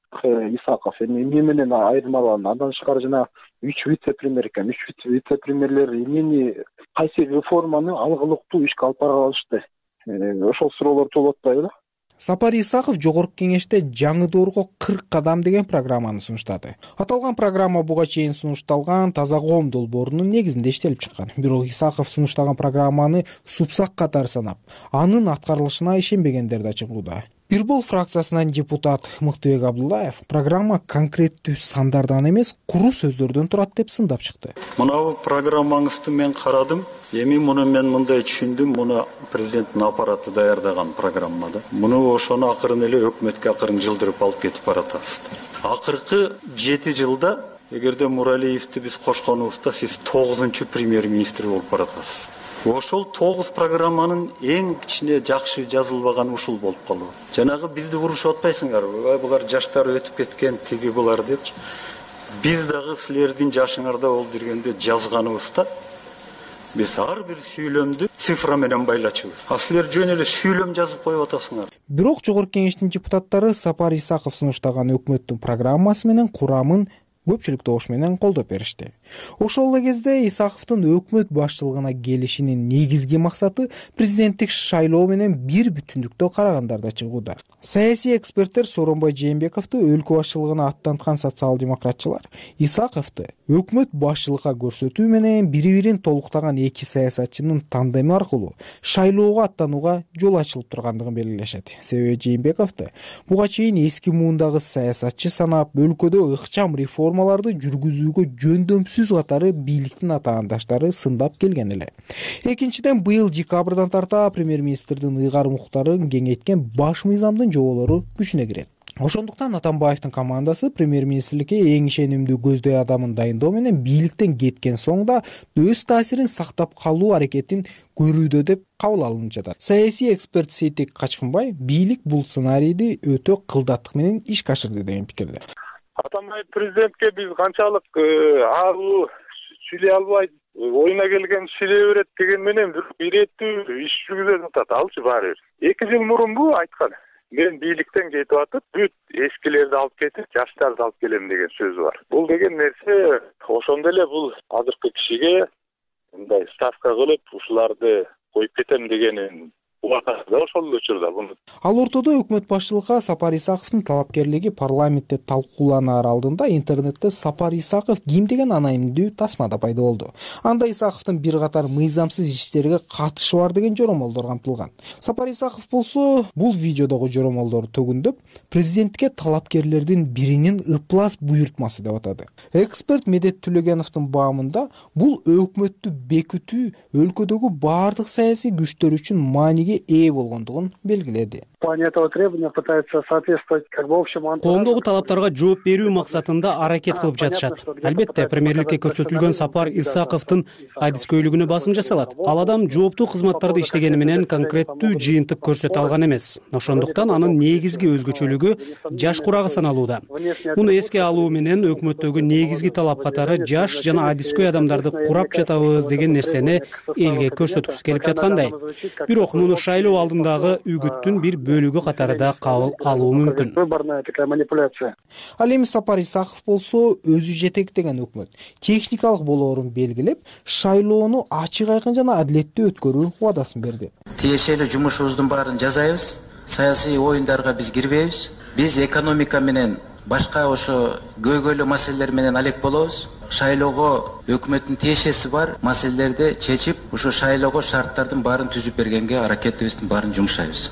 Исаков эми эмне менен айырмаланат? Андан тышкары жана үч вице-премьер экен. үч вице-премьерлер эмнени, кайсы реформаны алгылыктуу ишке алып бара алышты? Ошол суроолор болуп атпайбы? Сапар Исаков жогорку кеңеште жаңы доорго кырк кадам деген программаны сунуштады. Аталган программа буга чейин сунушталган Таза коом долбоорунун негизинде иштелип чыккан. Бирок Исаков сунуштаган программаны супсак катары санап, анын аткарылышына ишенбегендер да чыгууда. Бир бол фракциясынан депутат Мыктыбек Абдуллаев программа конкреттүү сандардан эмес, куру сөздөрдөн турат деп сындап чыкты. Мынау программаңызды мен карадым. Эми муну мен мындай түшүндүм, муну президенттин аппараты даярдаган программа да. Муну ошону акырын эле өкмөткө акырын жылдырып алып кетип баратасыздар. Акыркы жети жылда эгерде Муралиевди биз кошконубузда сиз тогузунчу премьер-министр болуп баратасыз. Ошол тогуз программанын эң кичине жакшы жазылбаганы ушул болуп калды. Жанагы бизди урушуп атпайсыңарбы? Булар жаштар өтүп кеткен, тиги булар депчи. Биз дагы силердин жашыңарда болуп жүргөндө жазганыбызда биз ар бир сүйлөмдү цифра менен байлачубуз. А силер жөн эле сүйлөм жазып коюп атасыңар. Бирок жогорку кеңештин депутаттары Сапар Исаков сунуштаган өкмөттүн программасы менен курамын көпчүлүк добуш менен колдоп беришти. Ошол эле кезде Исаковдун өкмөт башчылыгына келишинин негизги максаты президенттик шайлоо менен бир бүтүндүктө карагандарда чыгууда. Саясий эксперттер Сооронбай Жээнбековду өлкө башчылыгына аттанткан социал-демократчылар Исаковду өкмөт башчылыкка көрсөтүү менен бири-бирин толуктаган эки саясатчынын тандеми аркылуу шайлоого аттанууга жол ачылып тургандыгын белгилешет. Себеби Жээнбековду буга чейин эски муундагы саясатчы санап, өлкөдө ыкчам реформаларды жүргүзүүгө жөндөмсүз катары бийликтин атаандаштары сындап келген эле. Экинчиден, быйыл декабрдан тарта премьер-министрдин ыйгарым укуктарын кеңейткен баш мыйзамдын жоболору күчүнө кирет. Ошондуктан Атамбаевдин командасы премьер-министрликке эң ишенимдүү көздөй адамын дайындоо менен бийликтен кеткен соң да өз таасирин сактап калуу аракетин көрүүдө деп кабыл алынып жатат. Саясий эксперт Сейтек Качкынбай бийлик бул сценарийди өтө кылдаттык менен ишке ашырды деген пикирде. Атамбаев президентке биз канчалык аруу сүйлөй албайт, оюна келген сүйлөй берет деген менен иреттүү иш жүргүзүп атат. Алчы баары бир эки жыл мурунбу айткан. Мен бийликтен кетип атып, бүт эскилерди алып кетип, жаштарды алып келем деген сөзү бар. Бул деген нерсе ошондо эле бул азыркы кишиге мындай ставка кылып, ушуларды коюп кетем дегенин ошол учурда буну. Ал ортодо өкмөт башчылыкка Сапар Исаковдун талапкерлиги парламентте талкууланаар алдында интернетте Сапар Исаков ким деген анайымдуу тасма да пайда болду. Анда Исаковдун бир катар мыйзамсыз иштерге катышы бар деген жоромолдор камтылган. Сапар Исаков болсо бул видеодогу жоромолдорду төгүндөп, президентке талапкерлердин биринин ыплас буйртмасы деп атады. Эксперт Медет Түлөгеновдун баамында бул өкмөттү бекитүү өлкөдөгү бардык саясий күчтөр үчүн мааниге ээ болгондугун белгиледи. Коомдогу талаптарга жооп берүү максатында аракет кылып жатышат. Албетте, премьерликке көрсөтүлгөн Сапар Исаковдун адискөйлүгүнө басым жасалат. Ал адам жооптуу кызматтарды иштегени менен конкреттүү жыйынтык көрсөтө алган эмес. Ошондуктан анын негизги өзгөчөлүгү жаш курагы саналууда. Муну эске алуу менен өкмөттөгү негизги талап катары жаш жана адискөй адамдарды курап жатабыз деген нерсени элге көрсөткүсү келип жаткандай. Бирок муну шайлоо алдындагы үгүттүн бир бөлүгү катары да кабыл алуу мүмкүн. Ал эми Сапар Исаков болсо өзү жетектеген өкмөт техникалык болоорун белгилеп, шайлоону ачык айкын жана адилеттүү өткөрүү убадасын берди. Тиешелүү жумушубуздун баарын жасайбыз. Саясий оюндарга биз кирбейбиз. Биз экономика менен башка ошо көйгөйлүү маселелер менен алек болобуз. Шайлоого өкмөттүн тиешеси бар маселелерди чечип, ошо шайлоого шарттардын баарын түзүп бергенге аракетибиздин баарын жумшайбыз.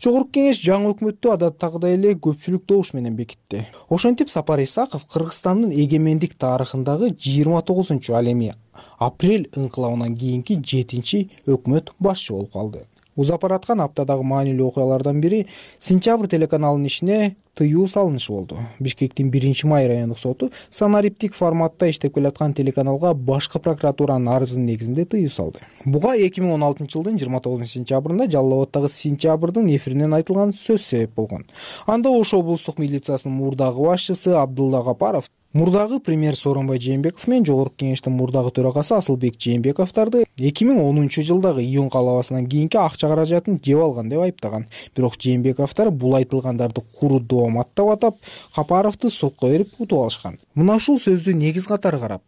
Жогорку кеңеш жаңы өкмөттү адаттагыдай эле көпчүлүк добуш менен бекитти. Ошентип Сапар Исаков Кыргызстандын эгемендик тарыхындагы жыйырма тогузунчу, ал эми апрель ыңкылабынан кийинки жетинчи өкмөт башчы болуп калды. Узап аткан аптадагы маанилүү окуялардан бири Сентябрь телеканалынын ишине тыюу салынышы болду. Бишкектин биринчи май райондук соту санариптик форматта иштеп келаткан телеканалга башкы прокуратуранын арызынын негизинде тыюу салды. Буга эки миң он алтынчы жылдын жыйырма тогузунчу сентябрында Жалал Абаддагы Сентябрдын эфиринен айтылган сөз себеп болгон. Анда Ош облустук милициясынын мурдагы башчысы Абдулла Гапаров мурдагы премьер Сооронбай Жээнбеков менен жогорку кеңештин мурдагы төрагасы Асылбек Жээнбековдорду эки миң онунчу жылдагы июнь калабасынан кийинки акча каражатын жеп алган деп айыптаган. Бирок Жээнбековдор бул айтылгандарды куру доомат деп атап, Капаровду сотко берип утуп алышкан. Мына ушул сөздү негиз катары карап,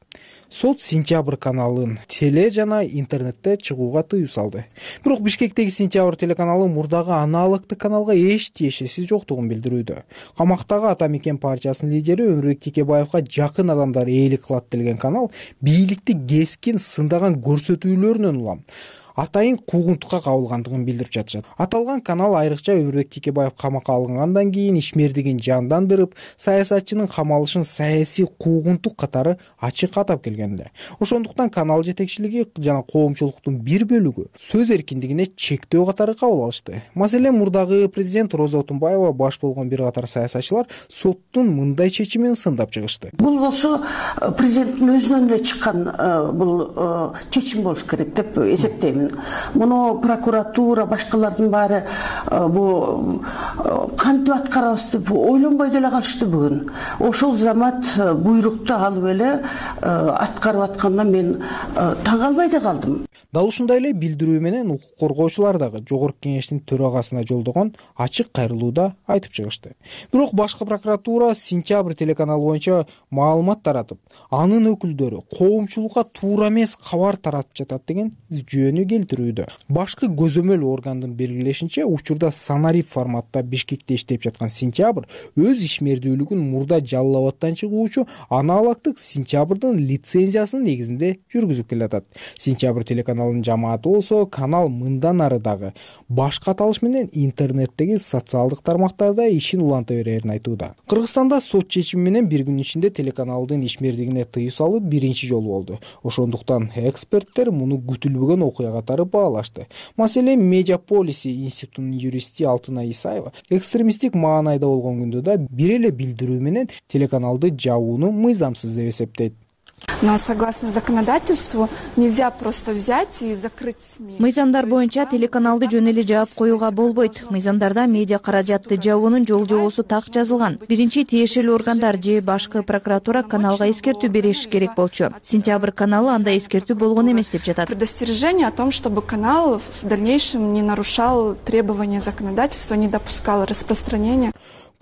сот сентябрь каналын теле жана интернетте чыгууга тыюу салды. Бирок Бишкектеги сентябрь телеканалы мурдагы аналогдук каналга эч тиешеси жоктугун билдирүүдө. Камактагы Ата Мекен партиясынын лидери Өмүрбек Текебаевга жакын адамдар ээлик кылат делген канал бийликти кескин сындаган көрсөтүүлөрүнөн улам атайын куугунтукка кабылгандыгын билдирип жатышат. Аталган канал айрыкча Өмүрбек Текебаев камакка алынгандан кийин ишмердигин жандандырып, саясатчынын камалышын саясий куугунтук катары ачык атап келген эле. Ошондуктан канал жетекчилиги жана коомчулуктун бир бөлүгү сөз эркиндигине чектөө катары кабыл алышты. Маселен, мурдагы президент Роза Отунбаева баш болгон бир катар саясатчылар соттун мындай чечимин сындап чыгышты. Бул болсо президенттин өзүнөн эле чыккан бул чечим болуш керек деп эсептейм. Муну прокуратура, башкалардын баары бу кантип аткарабыз деп ойлонбой деле калышты бүгүн. Ошол замат буйрукту алып эле аткарып аткандан мен таң калбай да калдым. Дал ушундай эле билдирүү менен укук коргоочулар дагы Жогорку Кеңештин төрагасына жолдогон ачык кайрылууда айтып чыгышты. Бирок башкы прокуратура сентябрь телеканалы боюнча маалымат таратып, анын өкүлдөрү коомчулукка туура эмес кабар таратып жатат деген жүйөнү келтирүүдө. Башкы көзөмөл органдын белгилешинче, учурда санарип форматта Бишкекте иштеп жаткан сентябрь өз ишмердүүлүгүн мурда Жалал Абадтан чыгуучу аналогдук сентябрдын лицензиясынын негизинде жүргүзүп келатат. Сентябрь телеканалынын жамааты болсо канал мындан ары дагы башка аталыш менен интернеттеги социалдык тармактарда ишин уланта берерин айтууда. Кыргызстанда сот чечими менен бир күн ичинде телеканалдын ишмердигине тыюу салуу биринчи жолу болду. Ошондуктан эксперттер муну күтүлбөгөн окуя катары баалашты. Маселен, Медиаполис институтунун юристи Алтынай Исаева экстремисттик маанайда болгон күндө да бир эле билдирүү менен телеканалды жабууну мыйзамсыз деп эсептейт. Но согласно законодательству нельзя просто взять и закрыть СМИ. Мыйзамдар боюнча телеканалды жөн эле жаап коюуга болбойт. Мыйзамдарда медиа каражатты жабуунун жол жобосу так жазылган. Биринчи тиешелүү органдар же башкы прокуратура каналга эскертүү бериш керек болчу. Сентябрь каналы андай эскертүү болгон эмес деп жатат. Предостережение о том, чтобы канал в дальнейшем не нарушал требования законодательства, не допускал распространения.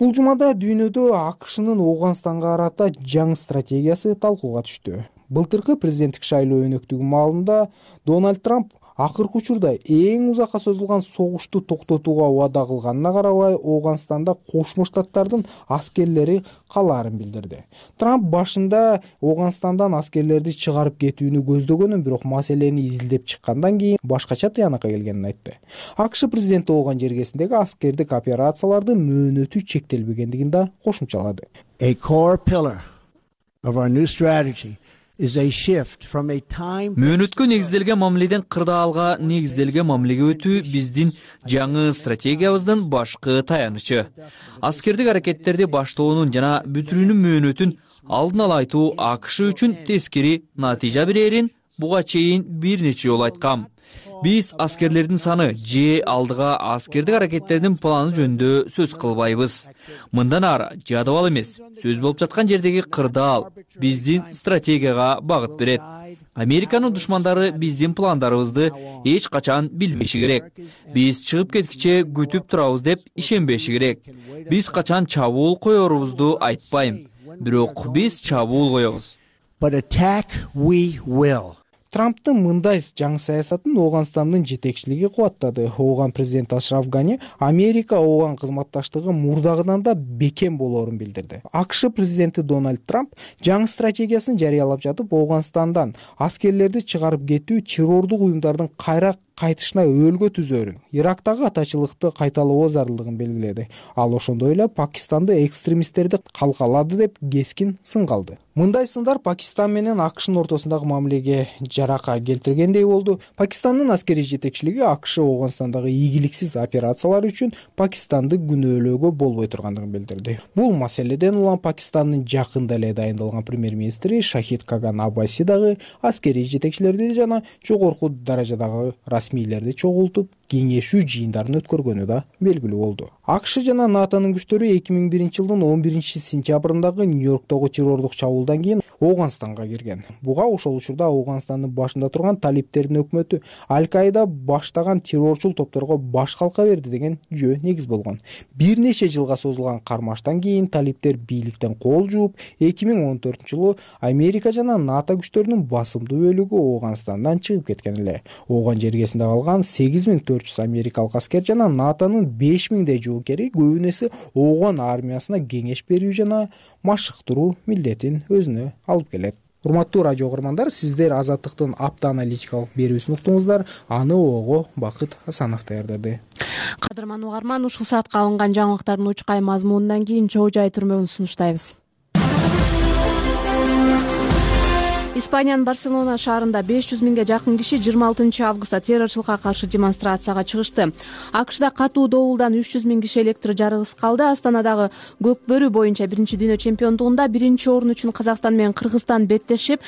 Бул жумада дүйнөдө АКШнын Ооганстанга карата жаңы стратегиясы талкууга түштү. Былтыркы президенттик шайлоо өнөктүгү маалында Дональд Трамп акыркы учурда эң узакка созулган согушту токтотууга убада кылганына карабай Ооганстанда Кошмо Штаттардын аскерлери калаарын билдирди. Трамп башында Ооганстандан аскерлерди чыгарып кетүүнү көздөгөнүн, бирок маселени изилдеп чыккандан кийин башкача тыянакка келгенин айтты. АКШ президенти болгон жергесиндеги аскердик операциялардын мөөнөтү чектелбегендигин да кошумчалады. A core pillar of our new strategy мөөнөткө негизделген мамиледен кырдаалга негизделген мамилеге өтүү биздин жаңы стратегиябыздын башкы таянычы. Аскердик аракеттерди баштоонун жана бүтүрүүнүн мөөнөтүн алдын ала айтуу АКШ үчүн тескери натыйжа берерин буга чейин бир нече жолу айткам. Биз аскерлердин саны же алдыга аскердик аракеттердин планы жөнүндө сөз кылбайбыз. Мындан ары жадыбал эмес, сөз болуп жаткан жердеги кырдаал биздин стратегияга багыт берет. Американын душмандары биздин пландарыбызды эч качан билбеши керек. Биз чыгып кеткиче күтүп турабыз деп ишенбеши керек. Биз качан чабуул коерубузду айтпайм, бирок биз чабуул коебуз. But attack we will. Трамптын мындай жаңы саясатын Ооганстандын жетекчилиги кубаттады. Ооган президент Ашраф Гани Америка Ооган кызматташтыгы мурдагыдан да бекем болоорун билдирди. АКШ президенти Дональд Трамп жаңы стратегиясын жарыялап жатып, Ооганстандан аскерлерди чыгарып кетүү террордук уюмдардын кайра кайтышына өлгө түзөрүн, Ирактагы атачылыкты кайталоо зарылдыгын белгиледи. Ал ошондой эле Пакистанды экстремисттерди калкалады деп кескин сын калды. Мындай сындар Пакистан менен АКШнын ортосундагы мамилеге жарака келтиргендей болду. Пакистандын аскерий жетекчилиги АКШ Ооганстандагы ийгиликсиз операциялар үчүн Пакистанды күнөөлөөгө болбой тургандыгын билдирди. Бул маселеден улам Пакистандын жакында эле дайындалган премьер-министри Шахид Каган Аббаси дагы аскерий жетекчилерди жана жогорку даражадагы расмийлерди чогултуп кеңешүү жыйындарын өткөргөнү да белгилүү болду. АКШ жана НАТОнун күчтөрү эки миң биринчи жылдын он биринчи сентябрындагы Нью-Йорктогу террордук чабуулдан кийин Ооганстанга кирген. Буга ошол учурда Ооганстандын башында турган талиптердин өкмөтү Аль-Каида баштаган террорчул топторго баш калка берди деген жөө негиз болгон. Бир нече жылга созулган кармаштан кийин талиптер бийликтен кол жууп, эки миң он төртүнчү жылы Америка жана НАТО күчтөрүнүн басымдуу бөлүгү Ооганстандан чыгып кеткен эле. Ооган жергесинде калган сегиз миң төрт жүз америкалык аскер жана НАТОнун беш миңдей жоокери көбүнесе Ооган армиясына кеңеш берүү жана машыктыруу милдетин өзүнө алып келет. Урматтуу радио угармандар, сиздер Азаттыктын апта аналитикалык берүүсүн уктуңуздар. Аны ого Бакыт Асанов даярдады. Кадырман угарман, ушул саатка алынган жаңылыктардын учкай мазмунунан кийин чоо жай түрмөгүн сунуштайбыз. Испаниянын Барселона шаарында беш жүз миңге жакын киши жыйырма алтынчы августта террорчулукка каршы демонстрацияга чыгышты. АКШда катуу добулдан үч жүз миң киши электр жарыгысыз калды. Астанадагы Көк бөрү боюнча биринчи дүйнө чемпиондугунда биринчи орун үчүн Казакстан менен Кыргызстан беттешип,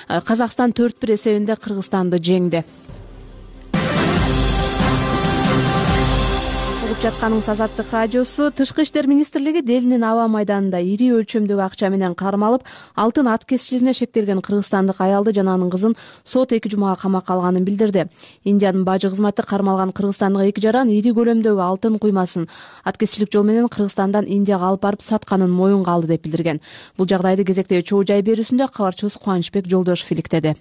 Казакстан төрт бир эсебинде Кыргызстанды жеңди. Жатканыңыз Азаттык радиосу. Тышкы иштер министрлиги Делинин аба майданында ири өлчөмдөгү акча менен кармалып, алтын аткезчилигине шектелген кыргызстандык аялды жана анын кызын сот эки жумага камакка алганын билдирди. Индиянын бажы кызматы кармалган кыргызстандык эки жаран ири көлөмдөгү алтын куймасын аткезчилик жол менен Кыргызстандан Индияга алып барып сатканын моюнга алды деп билдирген. Бул жагдайды кезектеги чоо жай берүүсүндө кабарчыбыз Кубанычбек Жолдошов иликтеди.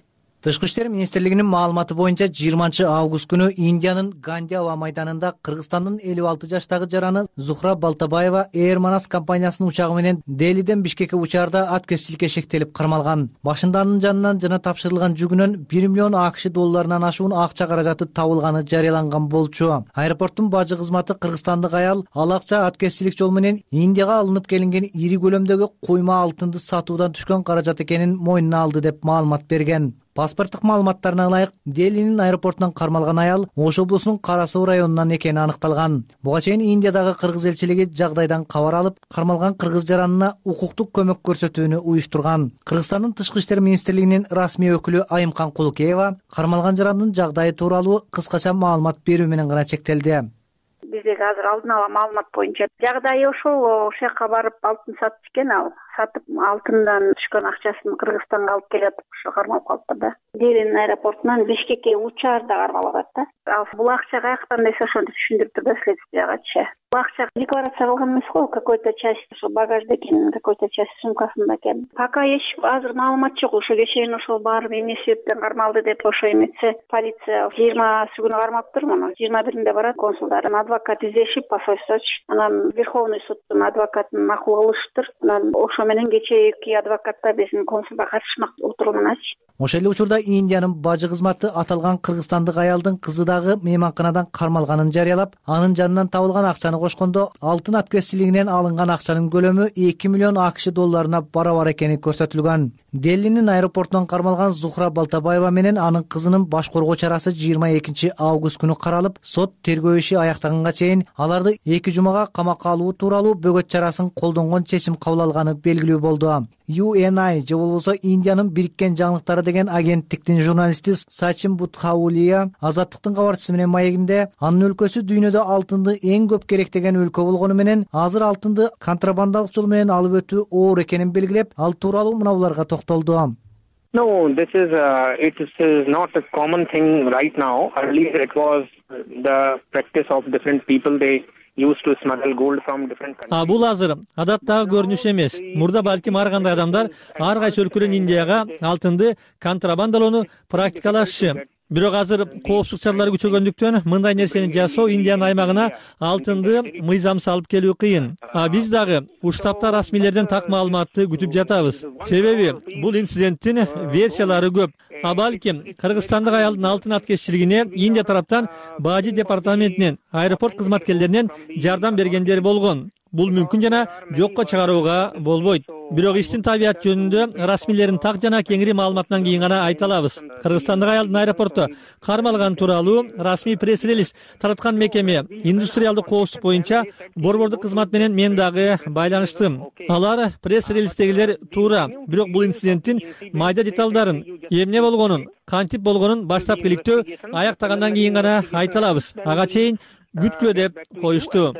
Тышкы иштер министрлигинин маалыматы боюнча жыйырманчы август күнү Индиянын Ганди аба майданында Кыргызстандын элүү алты жаштагы жараны Зухра Балтабаева Air Manas компаниясынын учагы менен Делиден Бишкекке учаарда аткезчиликке шектелип кармалган. Башында анын жанынан жана тапшырылган жүгүнөн бир миллион АКШ долларынан ашуун акча каражаты табылганы жарыяланган болчу. Аэропорттун бажы кызматы кыргызстандык аял ал акча аткезчилик жол менен Индияга алынып келинген ири көлөмдөгү куйма алтынды сатуудан түшкөн каражат экенин мойнуна алды деп маалымат берген. Паспорттук маалыматтарына ылайык, Делинин аэропортунан кармалган аял Ош облусунун Кара Суу районунан экени аныкталган. Буга чейин Индиядагы кыргыз элчилиги жагдайдан кабар алып, кармалган кыргыз жаранына укуктук көмөк көрсөтүүнү уюштурган. Кыргызстандын Тышкы иштер министрлигинин расмий өкүлү Айымкан Кулукеева кармалган жарандын жагдайы тууралуу кыскача маалымат берүү менен гана чектелди. Биздеги азыр алдын ала маалымат боюнча жагдайы ошол, ошол жака барып алтын сатып экен, ал сатып алтындан түшкөн акчасын Кыргызстанга алып келип ошо кармалып калыптыр да. Делин аэропортунан Бишкекке учаарда кармалып атат. Ал бул акча каяктан десе ошону түшүндүрүп турду следствиягачы. Бул акча декларация кылган эмес го, какой-то часть ошо багажда экен, какой-то часть сумкасында экен. Пока эч азыр маалымат жок, ошо кечээ ошол барып эмне себептен кармалды деп ошо эметсе, полиция жыйырмасы күнү кармаптыр муну. жыйырма биринде барат консулдарын адвокат издешип, посольство, анан Верховный судтун адвокатын макул кылыштыр. Анан ошо менен кечээки адвокатта биздин консулга катышмак отурумуначы. Ошол эле учурда Индиянын бажы кызматы аталган кыргызстандык аялдын кызы дагы мейманканадан кармалганын жарыялап, анын жанынан табылган акчаны кошкондо алтын аткезчилигинен алынган акчанын көлөмү эки миллион АКШ долларына барабар экени көрсөтүлгөн. Делинин аэропортунан кармалган Зухра Балтабаева менен анын кызынын баш коргоо чарасы жыйырма экинчи август күнү каралып, сот тергөө иши аяктаганга чейин аларды эки жумага камакка алуу тууралуу бөгөт чарасын колдонгон чечим кабыл алганы белгилүү болду. ю эн ай же болбосо Индиянын бириккен жаңылыктары деген агенттиктин журналисти Сачин Будхаулия Азаттыктын кабарчысы менен маегинде анын өлкөсү дүйнөдө алтынды эң көп керектеген өлкө болгону менен азыр алтынды контрабандалык жол менен алып өтүү оор экенин белгилеп, ал тууралуу мына буларга токтолду. No, this is uh, it is not a common thing right now. Earlier it was the practice of different people. They used to smuggle gold from different countries. А бул азыр адаттагы көрүнүш эмес. Мурда балким ар кандай адамдар ар кайсы өлкөдөн Индияга алтынды контрабандалоону практикалашчы. Бирок азыр коопсуздук чаралары күчөгөндүктөн мындай нерсени жасоо Индиянын аймагына алтынды мыйзамсыз алып келүү кыйын. А биз дагы ушул тапта расмийлерден так маалыматты күтүп жатабыз. Себеби бул инциденттин версиялары көп. А балким кыргызстандык аялдын алтын аткезчилигине Индия тараптан бажы департаментинен, аэропорт кызматкерлеринен жардам бергендер болгон. Бул мүмкүн жана жокко чыгарууга болбойт. Бирок иштин табияты жөнүндө расмийлердин так жана кеңири маалыматынан кийин гана айта алабыз. Кыргызстандык аялдын аэропортто кармалган тууралуу расмий пресс-релиз тараткан мекеме индустриалдык коопсуздук боюнча борбордук кызмат менен мен дагы байланыштым. Алар пресс-релиздегилер туура, бирок бул инциденттин майда деталдарын, эмне болгонун, кантип болгонун баштапкы иликтөө аяктагандан кийин гана айта алабыз. Ага чейин күткүлө деп коюшту.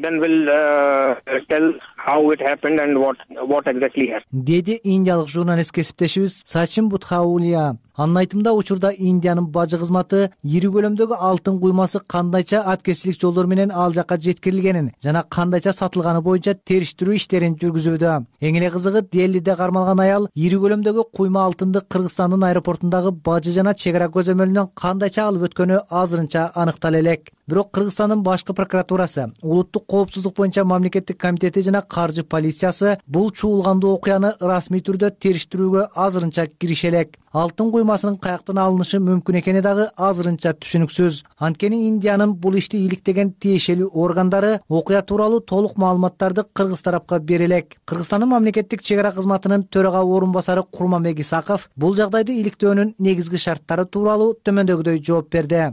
then we'll uh, tell how it happened and what what exactly happened. Деди индиялык журналист кесиптешибиз Сачин Будхаулия. Анын айтымында учурда Индиянын бажы кызматы ири көлөмдөгү алтын куймасы кандайча аткерчилик жолдор менен ал жакка жеткирилгенин жана кандайча сатылганы боюнча териштирүү иштерин жүргүзүүдө. Эң эле кызыгы Делиде кармалган аял ири көлөмдөгү куйма алтынды Кыргызстандын аэропортундагы бажы жана чек ара көзөмөлүнөн кандайча алып өткөнү азырынча аныктала элек. Бирок Кыргызстандын башкы прокуратурасы, улуттук коопсуздук боюнча мамлекеттик комитети жана каржы полициясы бул чуулгандуу окуяны расмий түрдө териштирүүгө азырынча кирише элек. Алтын куймасынын каяктан алынышы мүмкүн экени дагы азырынча түшүнүксүз. Анткени Индиянын бул ишти иликтеген тиешелүү органдары окуя тууралуу толук маалыматтарды кыргыз тарапка бере элек. Кыргызстандын мамлекеттик чек ара кызматынын төрага орун басары Курманбек Исаков бул жагдайды иликтөөнүн негизги шарттары тууралуу төмөндөгүдөй жооп берди.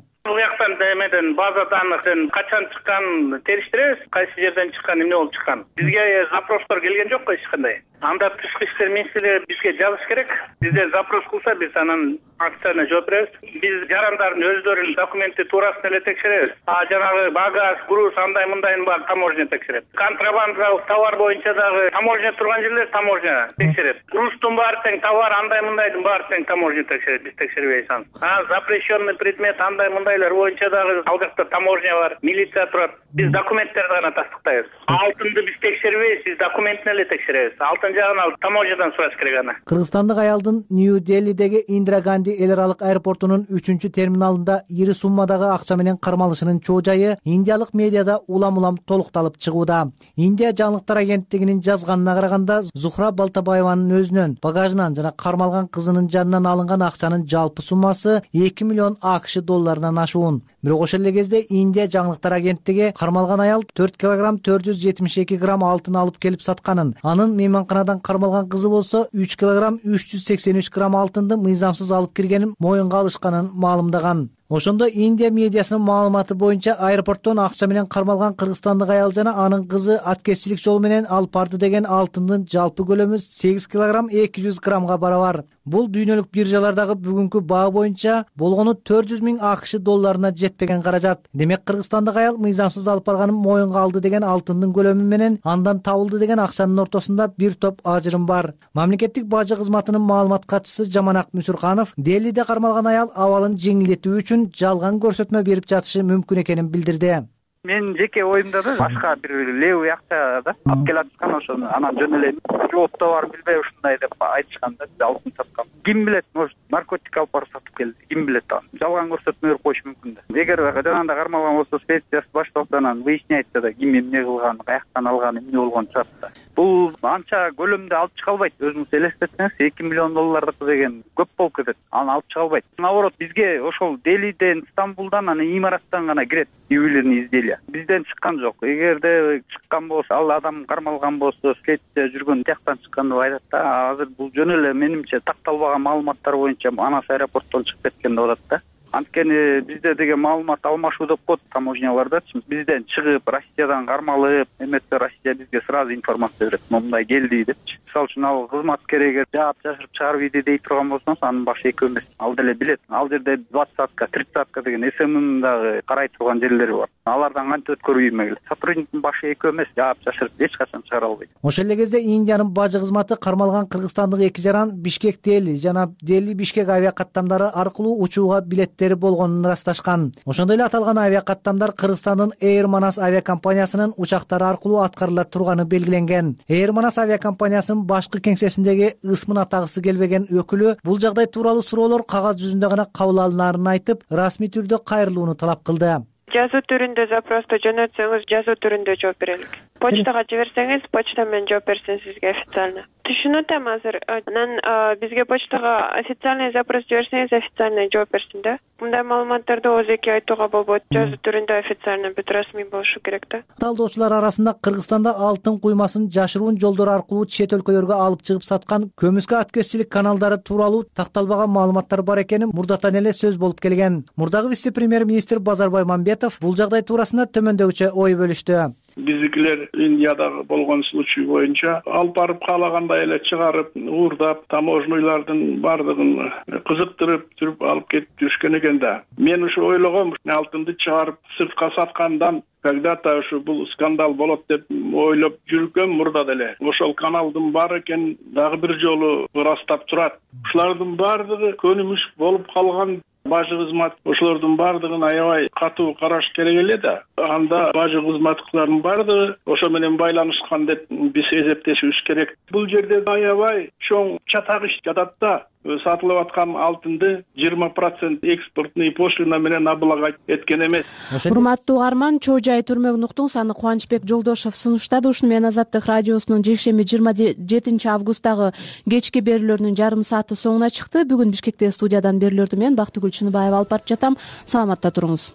Эмеден база данныктын качан чыкканын териштиребиз, кайсы жерден чыккан, эмне болуп чыккан. Бизге запростор келген жокко эч кандай. Анда тышкы иштер министрлиги бизге жазыш керек. Бизден запрос кылса, биз анын акциясына жооп беребиз. Биз жарандардын өздөрүнүн документи туурасын эле текшеребиз. А жанагы багаж, груз андай мындайын баары таможня текшерет. Контрабандалык товар боюнча дагы таможня турган жерлер таможня текшерет. Груздун баары тең, товар андай мындайдын баары тең таможня текшерет. Биз текшербейбиз аны. А запрещенный предмет андай мындайлар боюнча дагы ал жакта таможня бар, милиция турат. Биз документтерди гана тастыктайбыз. Алтынды биз текшербейбиз, биз документин эле текшеребиз. Алтын жагын ал таможнядан сураш керек аны. Кыргызстандык аялдын Нью-Делидеги Индира Ганди эл аралык аэропортунун үчүнчү терминалында ири суммадагы акча менен кармалышынын чоо жайы индиялык медиада улам-улам толукталып чыгууда. Индия жаңылыктар агенттигинин жазганына караганда Зухра Балтабаеванын өзүнөн, багажынан жана кармалган кызынын жанынан алынган акчанын жалпы суммасы эки миллион АКШ долларынан ашуун. Бирок ошол эле кезде Индия жаңылыктар агенттиги кармалган аял төрт килограмм төрт жүз жетимиш эки грамм алтын алып келип сатканын, анын мейманканадан кармалган кызы болсо үч килограмм үч жүз сексен үч грамм алтынды мыйзамсыз алып киргенин моюнга алышканын маалымдаган. Ошондо Индия медиасынын маалыматы боюнча аэропорттон акча менен кармалган кыргызстандык аял жана анын кызы аткерчилик жол менен алып барды деген алтындын жалпы көлөмү сегиз килограмм эки жүз граммга барабар. Бул дүйнөлүк биржалардагы бүгүнкү баа боюнча болгону төрт жүз миң АКШ долларына жетпеген каражат. Демек кыргызстандык аял мыйзамсыз алып барганын моюнга алды деген алтындын көлөмү менен андан табылды деген акчанын ортосунда бир топ ажырым бар. Мамлекеттик бажы кызматынын маалымат катчысы Жаманак Мүсүрканов Делиде кармалган аял абалын жеңилдетүү үчүн жалган көрсөтмө берип жатышы мүмкүн экенин билдирди. Менин жеке оюмда да башка бир левый акча да алып келатышкан, ошону анан жөн эле жоопто бар билбей ушундай деп айтышкан да, алтын саткан. Ким билет, может наркотик алып барып сатып келди, ким билет аны. Жалган көрсөтмө берип коюшу мүмкүн да. Эгер жанагындай кармалган болсо следствиясы башталса, анан выясняется да ким эмне кылган, каяктан алган, эмне болгон чыгат да. Бул анча көлөмдө алып чыга албайт. Өзүңүз элестетсеңиз эки миллион доллардыкы деген көп болуп кетет. Аны алып чыга албайт. Наоборот, бизге ошол Делиден, Стамбулдан, анан имараттан гана кирет ювелирный изделия. Бизден чыккан жок. Эгерде чыккан болсо, ал адам кармалган болсо, следствие жүргөн тияктан чыккан деп айтат да. Азыр бул жөн эле менимче такталбаган маалыматтар боюнча Манас аэропорттон чыгып кеткен деп атат да. Анткени бизде деген маалымат алмашуу деп коет таможняларда. Бизден чыгып, Россиядан кармалып, эметсе Россия бизге сразу информация берет. Мындай келди депчи. Мисалы үчүн ал кызматкер эгер жаап жашырып чыгарып ийди дей турган болсоңуз, анын башы экөө эмес. Ал деле билет. Ал жерде двадцатка, тридцатка деген эс эмнин дагы карай турган жерлери бар. Алардан кантип өткөрүү ийме келет. Сотрудниктин башы экөө эмес, жаап жашырып эч качан чыгара албайт. Ошол эле кезде Индиянын бажы кызматы кармалган кыргызстандык эки жаран Бишкек Дели жана Дели Бишкек авиакаттамдары аркылуу учууга билеттери болгонун ырасташкан. Ошондой эле аталган авиакаттамдар Кыргызстандын Air Manas авиакомпаниясынын учактары аркылуу аткарыла турганы белгиленген. Air Manas авиакомпаниясынын башкы кеңсесиндеги ысмын атагысы келбеген өкүлү бул жагдай тууралуу суроолор кагаз жүзүндө гана кабыл алынаарын айтып, расмий түрдө кайрылууну талап кылды. Жазуу түрүндө запросту жөнөтсөңүз, жазуу түрүндө жооп берелик. Почтага жиберсеңиз, почта менен жооп берсин сизге официально. Түшүнүп атам азыр. Анан бизге почтага официальный запрос жиберсеңиз, официальный жооп берсин да. Мындай маалыматтарды ооз-эки айтууга болбойт. Жазуу түрүндө официально бүт расмий болушу керек да. Талдоочулар арасында Кыргызстанда алтын куймасын жашыруун жолдор аркылуу чет өлкөлөргө алып чыгып саткан көмүскө аткерчилик каналдары тууралуу такталбаган маалыматтар бар экени мурдатан эле сөз болуп келген. Мурдагы вице-премьер-министр Базарбай Мамбетов бул жагдай туурасында төмөндөгүчө ой бөлүштү. Биздикилер Индиядагы болгон случай боюнча алып барып каалагандай эле чыгарып, уурдап, таможнойлардын бардыгын кызыктырып жүрүп алып кетип жүрүшкөн экен да. Мен ушу ойлогом, алтынды чыгарып сыртка саткандан когда-то ушу бул скандал болот деп ойлоп жүргөм мурда деле. Ошол каналдын баары экен дагы бир жолу ырастап турат. Ушулардын баардыгы көнүмүш болуп калган. Бажы кызмат ошолордун баардыгын аябай катуу караш керек эле да. Анда бажы кызматтыктардын баардыгы ошо менен байланышкан деп биз эсептешибиз керек. Бул жерде аябай чоң чатак иш жатат да. Сатылып аткан алтынды жыйырма процент экспортный пошлина менен облагать эткен эмес. Урматтуу угарман, Чоо Жай түрмөгүн уктуңуз. Аны Кубанычбек Жолдошов сунуштады. Ушуну менен Азаттык радиосунун жекшемби жыйырма жетинчи августтагы кечки берүүлөрүнүн жарым сааты соңуна чыкты. Бүгүн Бишкекте студиядан берүүлөрдү мен Бактыгүл Чыныбаева алып барып жатам. Саламатта туруңуз.